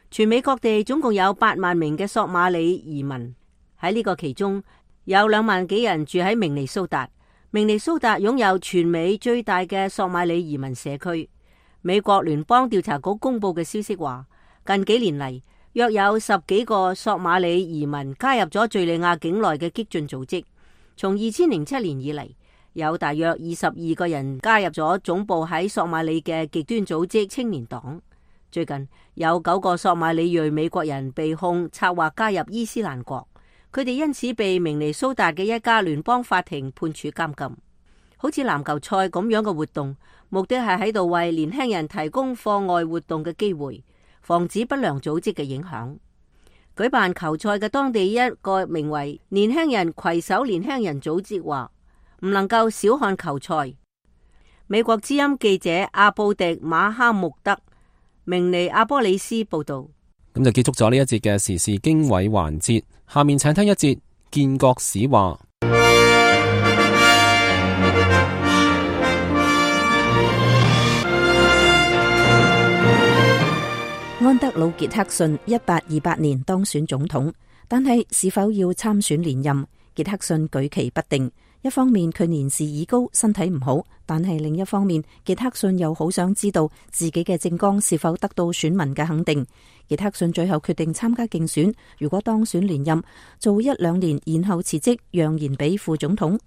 全美各地總共有8萬名嘅索馬里移民，喺呢個其中有2萬幾人住喺明尼蘇達。明尼蘇達擁有全美最大嘅索馬里移民社區。美國聯邦調查局公布嘅消息話，近幾年嚟，約有10幾個索馬里移民加入咗敘利亞境內嘅激進組織。從2007年以嚟，有大約22個人加入咗總部喺索馬里嘅極端組織青年黨。最近有9個索馬里裔美國人被控策劃加入伊斯蘭國，佢哋因此被明尼蘇達嘅一家聯邦法庭判處監禁。好似籃球賽咁樣嘅活動，目的係喺度為年輕人提供課外活動嘅機會，防止不良組織嘅影響。舉辦球賽嘅當地一個名為年輕人攜手年輕人組織話，唔能夠小看球賽。美國之音記者阿布迪馬哈穆德明尼阿波里斯報道。咁就結束咗呢一節嘅時事經緯環節，下面請聽一節建國史話。安德魯傑克遜1828年當選總統，但係是否要參選連任，傑克遜舉棋不定。一方面佢年事已高，身體唔好，但係另一方面傑克遜又好想知道自己嘅政綱是否得到選民嘅肯定。傑克遜最後決定參加競選，如果當選連任，做1-2年，然後辭職，讓賢俾副總統。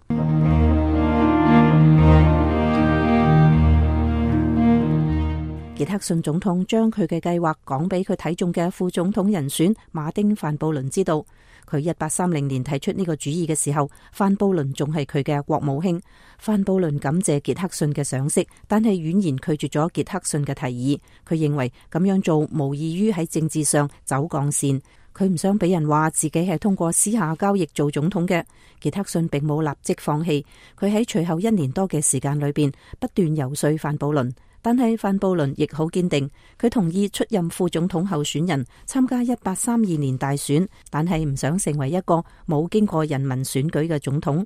傑克遜總統將佢嘅計劃講俾佢睇中嘅副總統人選馬丁范布倫知道。佢1830年提出呢個主意嘅時候，范布倫仲係佢嘅國務卿。范布倫感謝傑克遜嘅賞識，但係婉言拒絕咗傑克遜嘅提議。佢認為咁樣做無異於喺政治上走鋼線。佢唔想俾人話自己係通過私下交易做總統嘅。傑克遜並冇立即放棄，佢喺隨後1年多嘅時間裏邊不斷游說范布倫。但係范布倫亦好堅定，佢同意出任副總統候選人，參加1832年大選，但係唔想成為一個冇經過人民選舉嘅總統。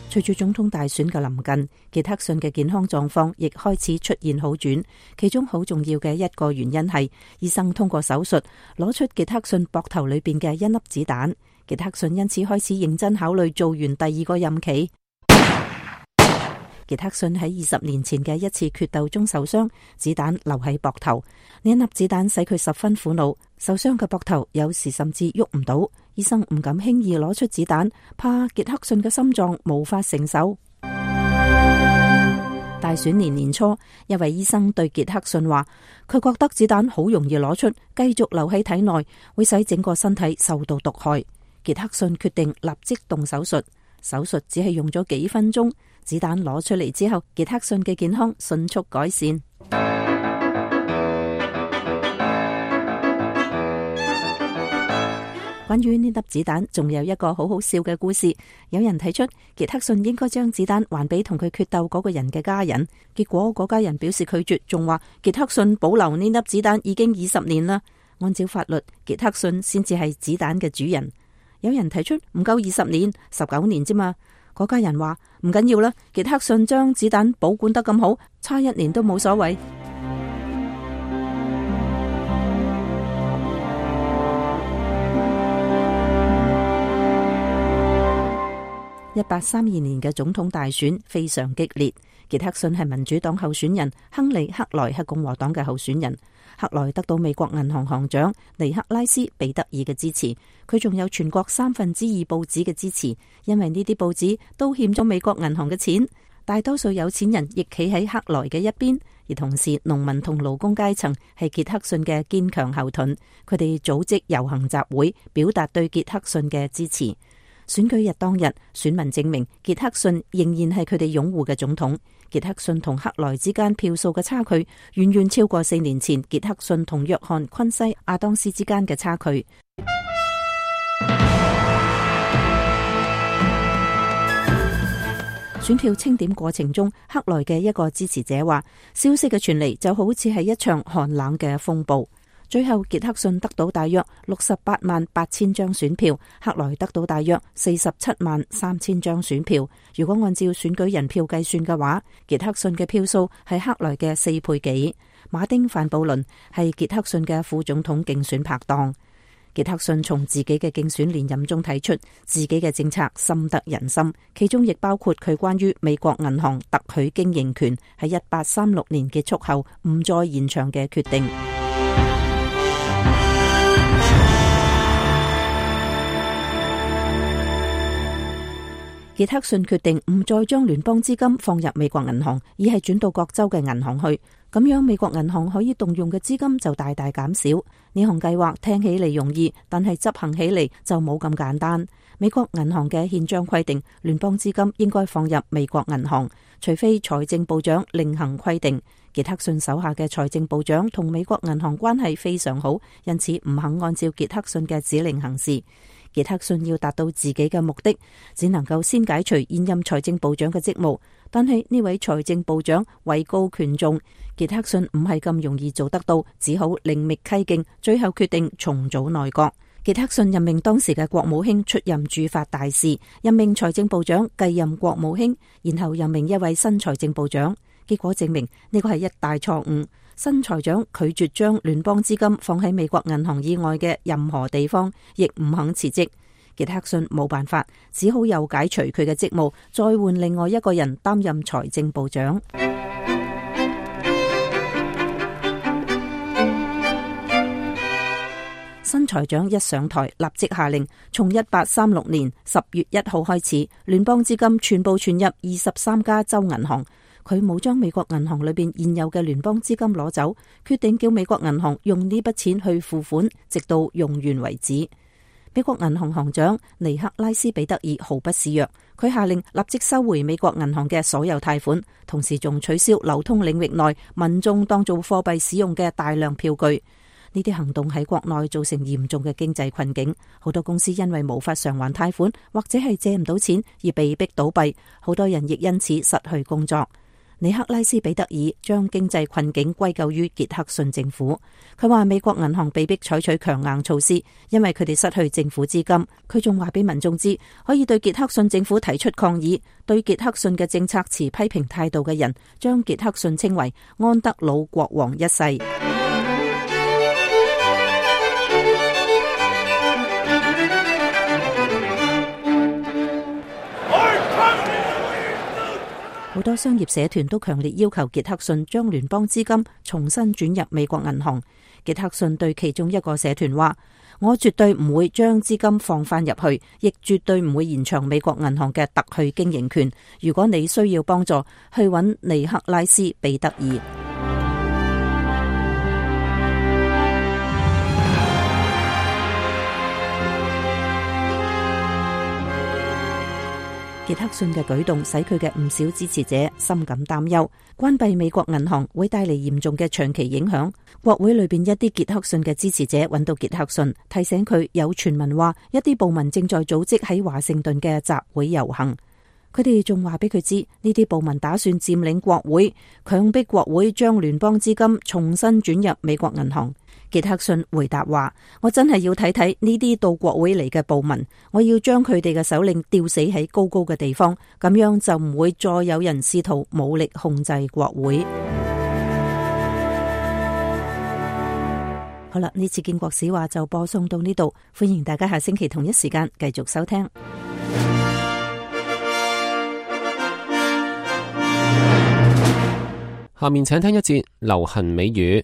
隨住總統大選嘅臨近，傑克遜嘅健康狀況亦開始出現好轉，其中好重要嘅一個原因係醫生通過手術攞出傑克遜膊頭裏邊嘅1粒子彈。傑克遜因此開始認真考慮做完第2個任期。傑克遜喺20年前嘅一次決鬥中受傷，子彈留喺膊頭，呢1粒子彈使佢十分苦惱，受傷嘅膊頭有時甚至喐唔到，醫生唔敢輕易攞出子彈，怕傑克遜嘅心臟無法承受。大選年初，一位醫生對傑克遜話，佢覺得子彈好容易攞出，繼續留喺體內會使整個身體受到毒害。傑克遜決定立即動手術，手術只係用咗幾分鐘，子彈攞出嚟之後，傑克遜嘅健康迅速改善。關於呢粒子彈，仲有一個好好笑嘅故事。有人提出傑克遜應該將子彈還俾同佢決鬥嗰個人嘅家人，結果嗰家人表示拒絕，仲話傑克遜保留呢粒子彈已經20年啦。按照法律，傑克遜先至係子彈嘅主人。有人提出唔夠20年，19年啫嘛。嗰家人話唔緊要啦，傑克遜將子彈保管得咁好，差1年都冇所謂。1832年嘅總統大選非常激烈，傑克遜係民主黨候選人，亨利克萊係共和黨嘅候選人。克萊得到美國銀行行長尼克拉斯彼得爾嘅支持，佢仲有全國2/3報紙嘅支持，因為呢啲報紙都欠咗美國銀行嘅錢。大多數有錢人亦企喺克萊嘅一邊，而同時農民同勞工階層係傑克遜嘅堅強後盾，佢哋組織遊行集會，表達對傑克遜嘅支持。選舉日當日，選民證明傑克遜仍然係佢哋擁護嘅總統。傑克遜同克萊之間票數嘅差距遠遠超過4年前傑克遜同約翰昆西亞當斯之間嘅差距。選票清點過程中，克萊嘅一個支持者話，消息嘅傳嚟就好似係一場寒冷嘅風暴。最後傑克遜得到大約68萬8千張選票，克萊得到大約47萬3千張選票。如果按照選舉人票計算嘅話，傑克遜嘅票數係克萊嘅4倍幾。馬丁范布倫係傑克遜嘅副總統競選拍檔。傑克遜從自己嘅競選連任中睇出自己嘅政策深得人心，其中亦包括佢關於美國銀行特許經營權喺1836年結束後唔再延長嘅決定。傑克遜決定唔再將聯邦資金放入美國銀行，而係轉到各州嘅銀行去。咁樣美國銀行可以動用嘅資金就大大減少。呢項計劃聽起嚟容易，但係執行起嚟就冇咁簡單。美國銀行嘅憲章規定，聯邦資金應該放入美國銀行，除非財政部長另行規定。傑克遜手下嘅財政部長同美國銀行關係非常好，因此唔肯按照傑克遜嘅指令行事。傑克遜要達到自己嘅目的，只能夠先解除現任財政部長嘅職務。但係呢位財政部長位高權重，傑克遜唔係咁容易做得到，只好另覓蹊徑，最後決定重組內閣。傑克遜任命當時嘅國務卿出任駐法大使，任命財政部長繼任國務卿，然後任命一位新財政部長。結果證明呢個係一大錯誤。新財長拒絕將聯邦資金放喺美國銀行以外嘅任何地方，亦唔肯辭職。傑克遜冇辦法，只好又解除佢嘅職務，再換另外一個人擔任財政部長。新財長一上台，立即下令從1836年10月1號開始，聯邦資金全部存入23家州銀行。佢冇將美國銀行裏邊現有嘅聯邦資金攞走，決定叫美國銀行用呢筆錢去付款，直到用完為止。美國銀行行長尼克拉斯彼得爾毫不示弱，佢下令立即收回美國銀行嘅所有貸款，同時仲取消流通領域內民眾當做貨幣使用嘅大量票據。呢啲行動喺國內造成嚴重嘅經濟困境，好多公司因為無法償還貸款或者係借唔到錢而被逼倒閉，好多人亦因此失去工作。尼克拉斯彼得爾將經濟困境歸咎於傑克遜政府，佢話美國銀行被迫採取強硬措施，因為佢哋失去政府資金。佢仲話俾民眾知，可以對傑克遜政府提出抗議。對傑克遜嘅政策持批評態度嘅人，將傑克遜稱為安德魯國王一世。好多商業社團都強烈要求傑克遜將聯邦資金重新轉入美國銀行。傑克遜對其中一個社團話：我絕對唔會將資金放翻入去，亦絕對唔會延長美國銀行嘅特許經營權。如果你需要幫助，去揾尼克拉斯彼得爾。傑克遜嘅舉動使佢嘅唔少支持者深感擔憂，關閉美國銀行會帶嚟嚴重嘅長期影響。國會裏邊一啲傑克遜嘅支持者揾到傑克遜，提醒佢有傳聞話一啲暴民正在組織喺華盛頓嘅集會遊行。佢哋仲話俾佢知，呢啲暴民打算佔領國會，強迫國會將聯邦資金重新轉入美國銀行。傑克遜回答話：我真係要睇睇呢啲到國會嚟嘅暴民，我要將佢哋嘅首領吊死喺高高嘅地方，咁樣就唔會再有人試圖武力控制國會。好啦，呢次建國史話就播送到呢度，歡迎大家下星期同一時間繼續收聽。下面請聽一節流行美語。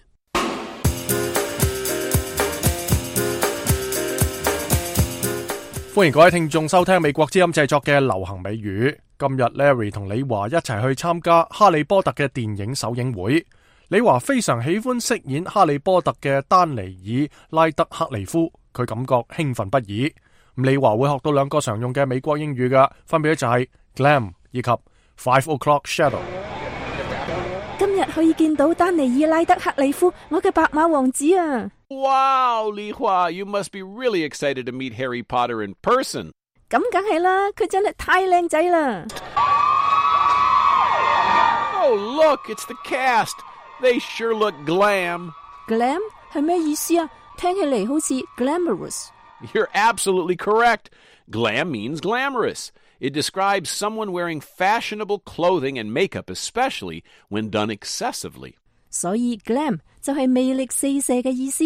歡迎各位聽眾收聽美國之音製作嘅流行美語。今日 Larry 同李華一齊去參加哈利波特嘅電影首映會。李華非常喜歡飾演哈利波特嘅丹尼爾拉德克利夫，佢感覺興奮不已。李華會學到兩個常用嘅美國英語嘅，分別就係 glam 以及 5 o'clock shadow。今日可以見到丹尼爾拉德克利夫，我嘅白馬王子啊！ Wow, Li Hua, you must be really excited to meet Harry Potter in person. 咁梗係啦，佢真係太靚仔啦！ Oh, look, it's the cast. They sure look glam. Glam 係咩意思啊？聽起嚟好似 glamorous。 You're absolutely correct. Glam means glamorous. It describes someone wearing fashionable clothing and makeup, especially when done excessively. 所以 glam 就係魅力四射嘅意思。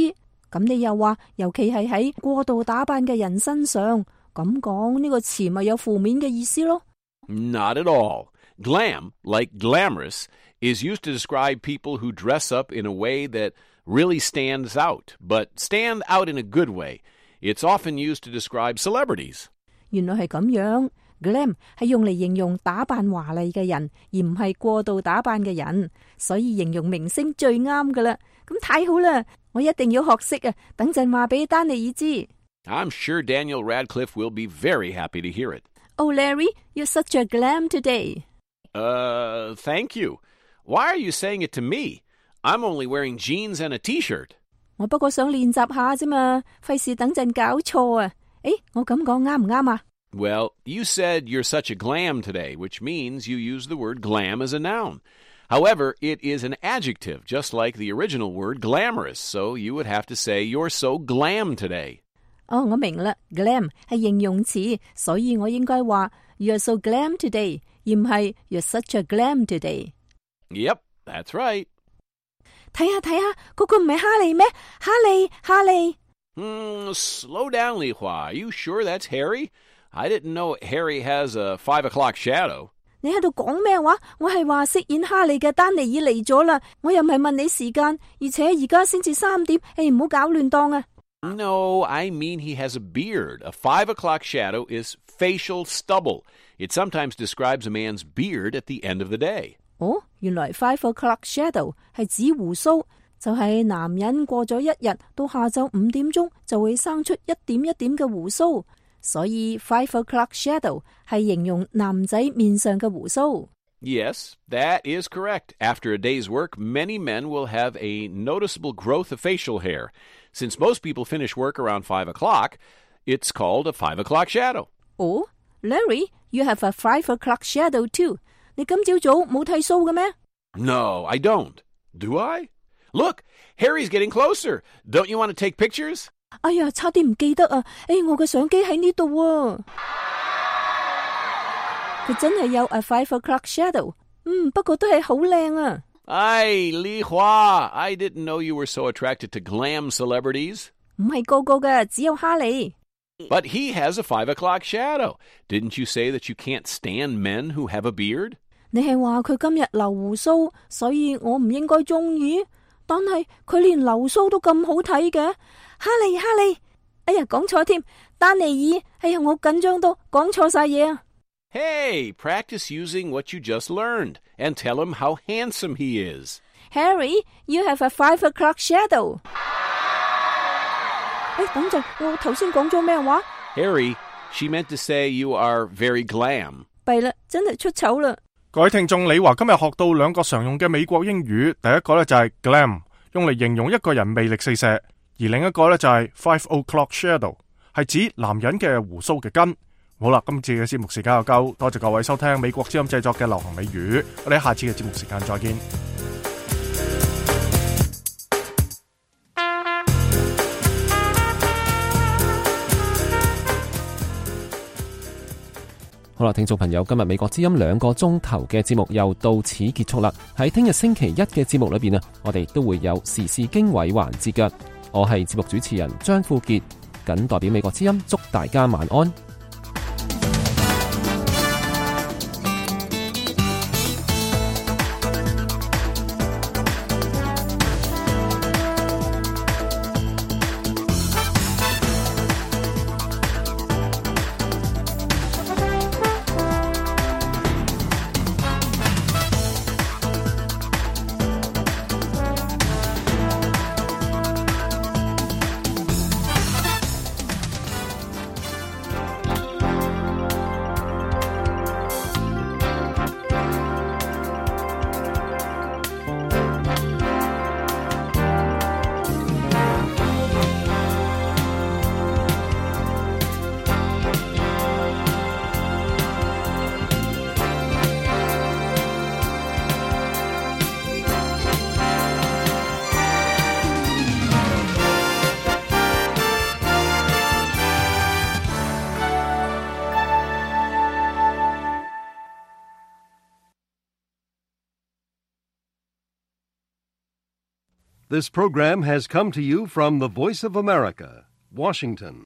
咁你又話，尤其係喺過度打扮嘅人身上，咁講呢個詞咪有負面嘅意思咯？ Not at all. Glam, like glamorous, is used to describe people who dress up in a way that really stands out, but stand out in a good way. It's often used to describe celebrities. 原來係咁樣。Glam 係用嚟形容打扮華麗嘅人，而唔係過度打扮嘅人，所以形容明星最啱噶啦。咁太好啦，我一定要學識啊！等陣話俾丹尼爾知。I'm sure Daniel Radcliffe will be very happy to hear it. Oh, Larry, you're such a glam today. Thank you. Why are you saying it to me? I'm only wearing jeans and a t-shirt. 我不過想練習下啫嘛，費事等陣搞錯啊！誒，我咁講啱唔啱啊？ Well, you said you're such a glam today, which means you use the word glam as a noun. However, it is an adjective, just like the original word glamorous, so you would have to say you're so glam today. 哦，我明啦 ，glam 係形容詞，所以我應該話 You're so glam today， 而唔係 You're such a glam today。 Yep, that's right. 睇下，嗰個唔係哈利咩？哈利。Slow down, Li Hua. Are you sure that's Harry? I didn't know Harry has a 5 o'clock shadow. 你喺度講咩話？我係話飾演哈利嘅丹尼爾嚟咗啦，我又唔係問你時間，而且而家先至3點，唔好搞亂檔啊！ No, I mean he has a beard. A 5 o'clock shadow is facial stubble. It sometimes describes a man's beard at the end of the day. 哦，原來5 o'clock shadow 係指鬍鬚，就係男人過咗一日到下晝5點鐘就會生出一點一點嘅鬍鬚。所以 5 o'clock shadow 係形容男仔面上嘅鬍鬚。 Yes, that is correct. After a day's work, many men will have a noticeable growth of facial hair. Since most people finish work around 5 o'clock, it's called a 5 o'clock shadow. Oh, Larry, you have a 5 o'clock shadow too. 你今朝早冇剃鬚嘅咩？ No, I don't. Do I? Look, Harry's getting closer. Don't you want to take pictures? 哎呀，差啲唔記得啊！我嘅相機喺呢度啊！佢真係有 a 5 o'clock shadow， 不過都係好靚啊！Ay, Li Hua, I didn't know you were so attracted to glam celebrities. 唔係個個嘅，只有哈利。But he has a 5 o'clock shadow. Didn't you say that you can't stand men who have a beard? 你係話佢今日留鬍鬚，所以我唔應該中意。但係佢連留鬚都咁好睇嘅，哈利，哎呀，講錯添，丹尼爾，哎呀，我緊張到講錯晒嘢啊！ Hey, practice using what you just learned and tell him how handsome he is. Harry, you have a 5 o'clock shadow. 等陣，我頭先講咗咩話 Harry, she meant to say you are very glam. 弊啦，真係出醜啦！各位聽眾，李華今日學到2個常用嘅美國英語，第一個呢就係 glam， 用嚟形容一個人魅力四射，而另一個呢就係 5 o'clock shadow， 係指男人嘅鬍鬚嘅根。好啦，今次嘅節目時間又夠，多謝各位收聽美國之音製作嘅流行美語，我哋下次嘅節目時間再見。好啦，聽眾朋友，今日美國之音2個鐘頭嘅節目又到此結束啦。喺聽日星期一嘅節目裏邊啊，我哋都會有時事經緯環節嘅。我係節目主持人張富傑，謹代表美國之音祝大家晚安。This program has come to you from the Voice of America, Washington.